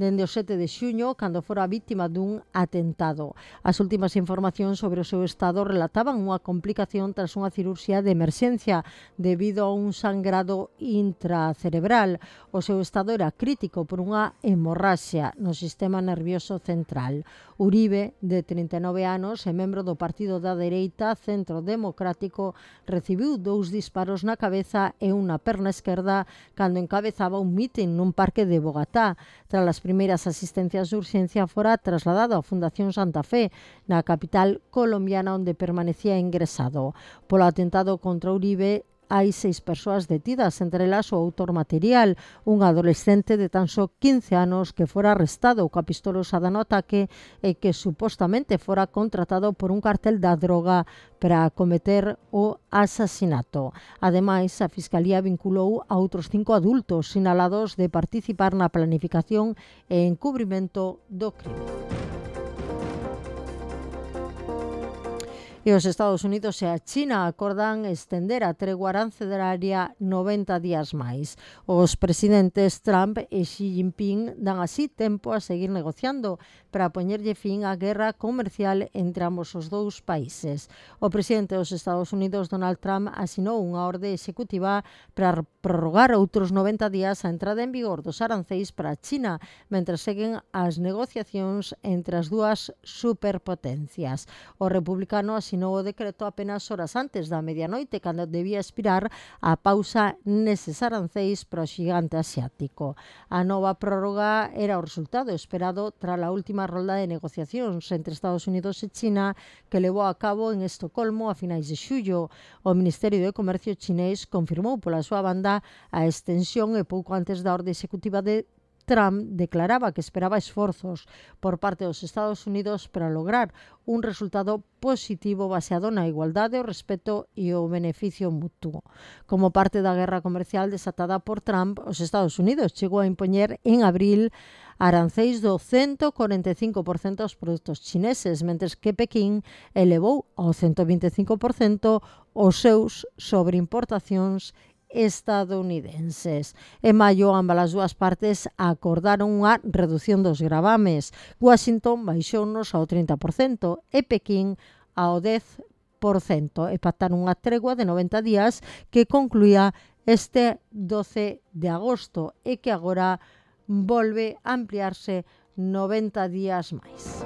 dende o sete de xuño, cando fora vítima dun atentado. As últimas informacións sobre o seu estado relataban unha complicación tras unha cirurxía de emerxencia debido a un sangrado intracerebral. O seu estado era crítico por unha hemorraxia no sistema nervioso central. Uribe, de trinta e nove anos e membro do partido da dereita Centro Democrático, recibiu dous disparos na cabeza e unha perna esquerda cando encabezaba un mitin nun parque de Bogotá. Tras as primeiras asistencias de urxencia, fora trasladado á Fundación Santa Fe, na capital colombiana, onde permanecía ingresado. Polo atentado contra Uribe, hai seis persoas detidas, entre elas o autor material, un adolescente de tan só quince anos que fora arrestado coa pistola usada no ataque e que supostamente fora contratado por un cartel da droga para cometer o asasinato. Ademais, a Fiscalía vinculou a outros cinco adultos sinalados de participar na planificación e encubrimento do crime. E os Estados Unidos e a China acordan estender a tregua arancelaria noventa días máis. Os presidentes Trump e Xi Jinping dan así tempo a seguir negociando para poñerlle fin á guerra comercial entre ambos os dous países. O presidente dos Estados Unidos, Donald Trump, asinou unha orde executiva para prorrogar outros noventa días a entrada en vigor dos aranceis para a China, mentre seguen as negociacións entre as dúas superpotencias. O republicano asinou asinou o decreto apenas horas antes da medianoite, cando debía expirar a pausa neses aranceis para o xigante asiático. A nova prórroga era o resultado esperado tras a última rolda de negociacións entre Estados Unidos e China que levou a cabo en Estocolmo a finais de xullo. O Ministerio de Comercio chinés confirmou pola súa banda a extensión e pouco antes da orde executiva de Trump declaraba que esperaba esforzos por parte dos Estados Unidos para lograr un resultado positivo baseado na igualdade, o respeto e o beneficio mutuo. Como parte da guerra comercial desatada por Trump, os Estados Unidos chegou a impoñer en abril aranceis do cento cuarenta e cinco por cento aos produtos chineses, mentres que Pequín elevou ao cento vinte e cinco por cento os seus sobreimportacións estadounidenses. En maio, ambas as dúas partes acordaron unha reducción dos gravames. Washington baixounos ao trinta por cento e Pequín ao dez por cento e pactaron unha tregua de noventa días que concluía este doce de agosto e que agora volve a ampliarse noventa días máis.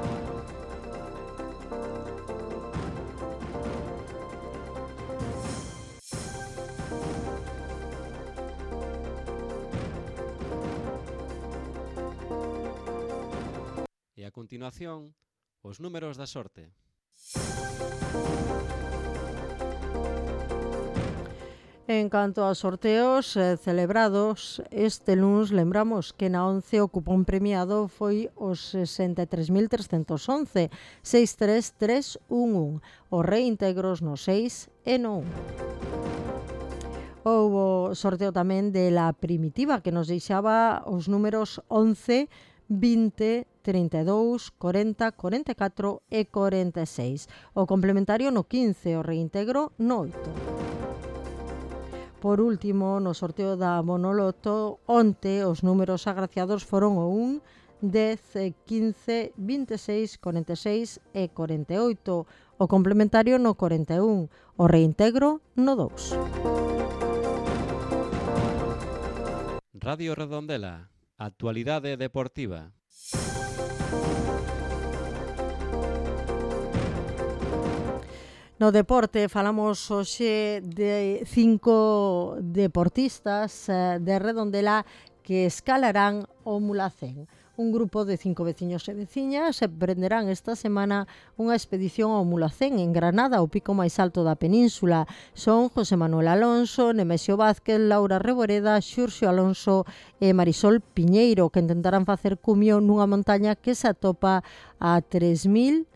E a continuación, os números da sorte. En canto aos sorteos eh, celebrados este luns, lembramos que na once o cupón premiado foi os sesenta e tres mil trescentos once, seis tres tres un un, os reintegros no seis e no un. Houbo sorteo tamén de la primitiva que nos deixaba os números once, vinte, trinta e dous, corenta, corenta e catro e corenta e seis. O complementario no quince, o reintegro no oito. Por último, no sorteo da Bonoloto, onte os números agraciados foron o un, dez, quince, vinte e seis, corenta e seis e corenta e oito. O complementario no corenta e un, o reintegro no dous. Radio Redondela, actualidade deportiva. No deporte falamos hoxe de cinco deportistas de Redondela que escalarán o Mulhacén. Un grupo de cinco veciños e veciñas emprenderán esta semana unha expedición ao Mulhacén en Granada, o pico máis alto da península. Son José Manuel Alonso, Nemesio Vázquez, Laura Reboreda, Xurxo Alonso e Marisol Piñeiro, que intentarán facer cumio nunha montaña que se atopa a tres mil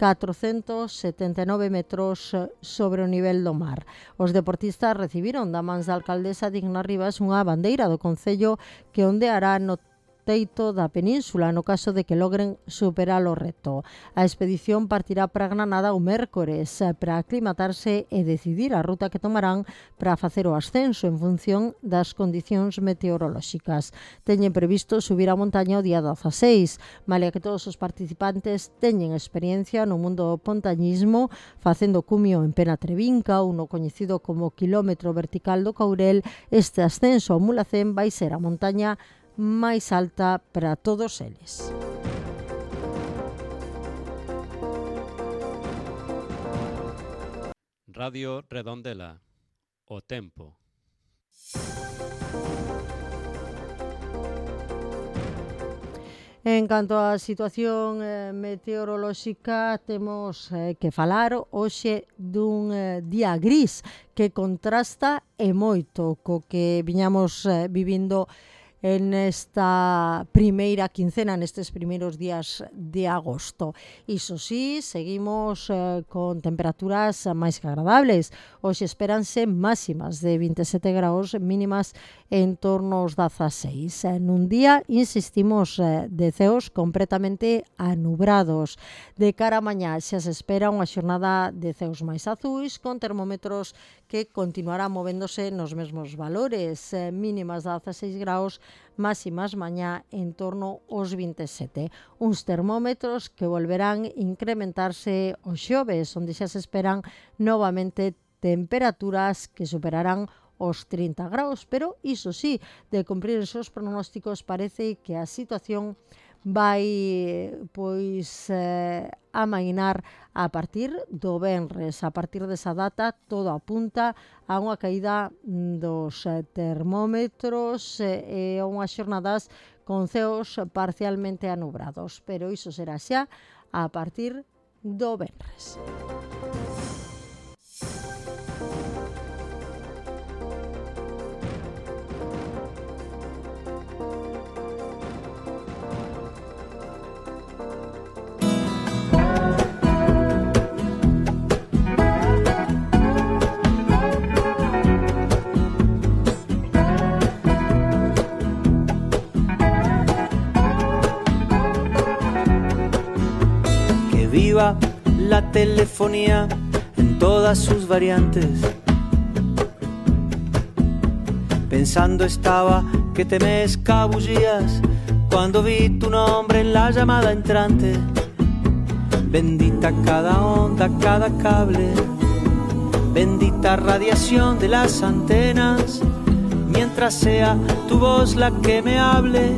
catrocentos setenta e nove metros sobre o nivel do mar. Os deportistas recibiron da mans da alcaldesa Digna Rivas unha bandeira do Concello que ondeará no teito da península no caso de que logren superar o reto. A expedición partirá para Granada o mércores para aclimatarse e decidir a ruta que tomarán para facer o ascenso en función das condicións meteorolóxicas. Teñen previsto subir a montaña o día dezaseis, malia que todos os participantes teñen experiencia no mundo do pontañismo, facendo cumio en Pena Trevinca ou no coñecido como quilómetro vertical do Caurel. Este ascenso ao Mulhacén vai ser a montaña máis alta para todos eles. Radio Redondela, o tempo. En canto á situación eh, meteorolóxica, temos eh, que falar hoxe dun eh, día gris que contrasta e moito co que viñamos eh, vivindo en esta primeira quincena, nestes primeiros días de agosto. Iso sí, seguimos eh, con temperaturas máis que agradables. Hoxe espéranse máximas de vinte e sete graus, mínimas en torno aos dezaseis. Nun día, insistimos, eh, de ceos completamente anubrados. De cara a mañá xa se espera unha xornada de ceos máis azuis, con termómetros que continuarán movéndose nos mesmos valores, eh, mínimas de dezaseis graus, máximas mañá en torno aos vinte e sete. Uns termómetros que volverán incrementarse os xoves, onde xa se esperan novamente temperaturas que superarán os trinta graus, pero iso sí, de cumprir os seus pronósticos, parece que a situación vai pois eh, amainar a partir do venres. A partir desa data todo apunta a unha caída dos termómetros e a unhas xornadas con ceos parcialmente anubrados, pero iso será xa a partir do venres. Viva la telefonía en todas sus variantes. Pensando estaba que te me escabullías cuando vi tu nombre en la llamada entrante. Bendita cada onda, cada cable, bendita radiación de las antenas, mientras sea tu voz la que me hable,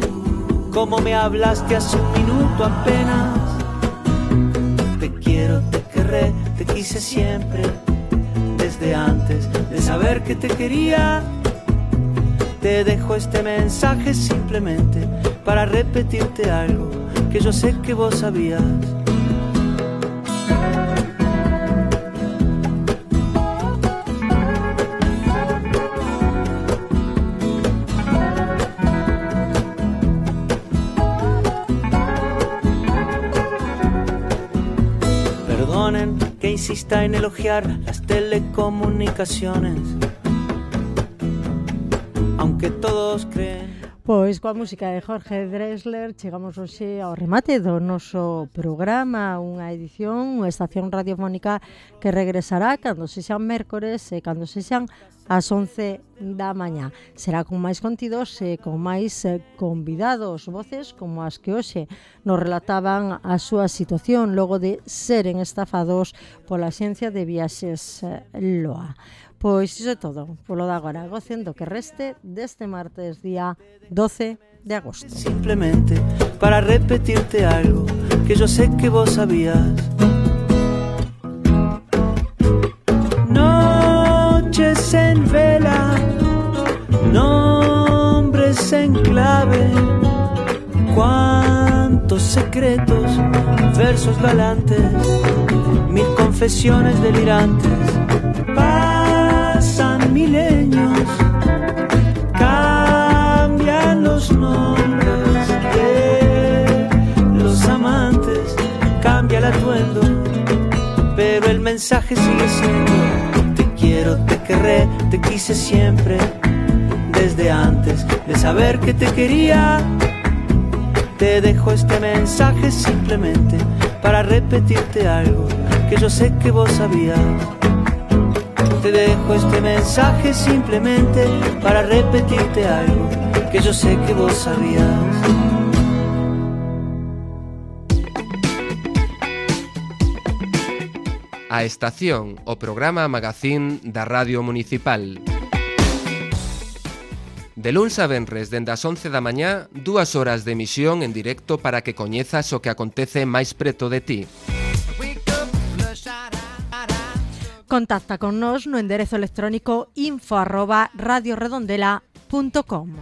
como me hablaste hace un minuto apenas. Te quiero, te querré, te quise siempre, desde antes de saber que te quería. Te dejo este mensaje simplemente para repetirte algo que yo sé que vos sabías. Que insista en elogiar las telecomunicaciones, aunque todos creen. Pois coa música de Jorge Drexler chegamos hoxe ao remate do noso programa, unha edición, unha estación radiofónica que regresará cando sexan mércores e cando sexan ás once da mañá. Será con máis contidos e con máis convidados, voces como as que hoxe nos relataban a súa situación logo de seren estafados pola Axencia de Viaxes L O A. Pois iso é todo, polo de agora, gocen do que reste deste martes día doce de agosto. Simplemente para repetirte algo que yo sé que vos sabías. Noches en vela, nombres en clave, cuántos secretos, versos galantes, mil confesiones delirantes. Pasan milenios, cambian los nombres de los amantes, cambia el atuendo, pero el mensaje sigue siendo: te quiero, te querré, te quise siempre, desde antes de saber que te quería. Te dejo este mensaje simplemente para repetirte algo que yo sé que vos sabías. Te dejo este mensaje simplemente para repetirte algo que yo sé que vos sabías. A Estación, o programa magazín da Radio Municipal. De luns a venres, dende as once da mañá, dúas horas de emisión en directo para que coñezas o que acontece máis preto de ti. Contacta con nos no enderezo electrónico info arroba radioredondela punto com.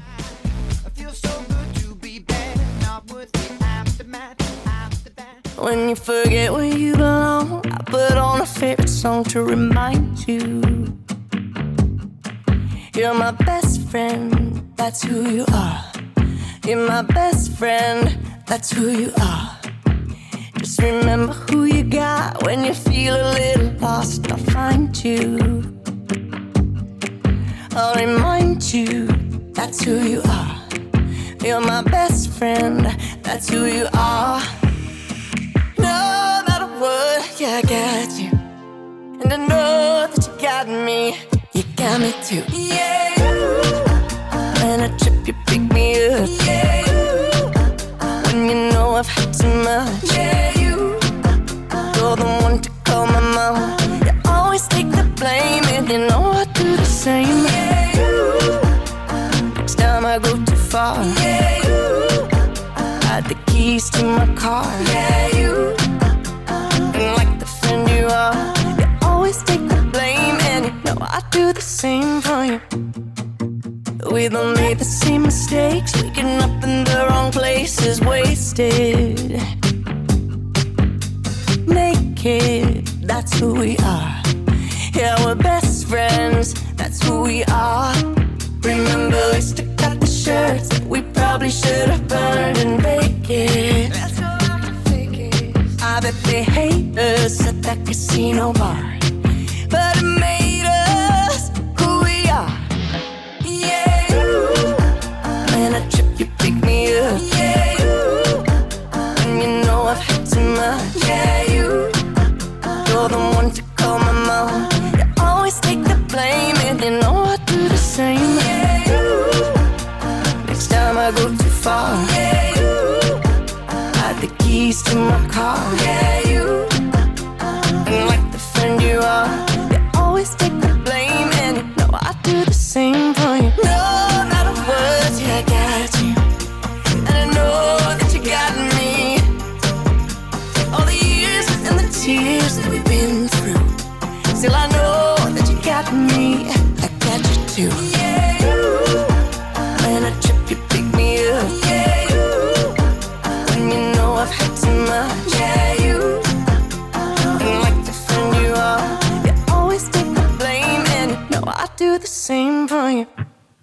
When you forget where you belong, I put on a favorite song to remind you. You're my best friend, that's who you are. You're my best friend, that's who you are. Just remember who you got when you feel a little lost. I'll find you, I'll remind you, that's who you are. You're my best friend, that's who you are. No matter what, yeah, I got you, and I know that you got me. You got me too. Yeah. When I trip, you pick me up. Yeah. When you know I've had too much. Yeah. You. You're the one to call my mom. You always take the blame, and you know I do the same. Yeah. Next time I go too far, yeah. Hide the keys keys to my car. Yeah, you, and like the friend you are, you always take the blame, and you know I do the same for you. We don't make the same mistakes, waking up in the wrong places, wasted. Naked, that's who we are. Yeah, we're best friends, that's who we are. Remember we stuck out the shirts that we probably should have burned and baked it. That's how I can fake it. I bet they hate us at that casino bar, but it made us who we are. Yeah, you, when I trip you pick me up. Yeah, you, and you know I've had too much. Yeah, you, you're the one to call my mom. You always take the blame, and you know I do the same. Yeah, you, next time I go too far. Yeah, you, I had the keys to my car. Yeah.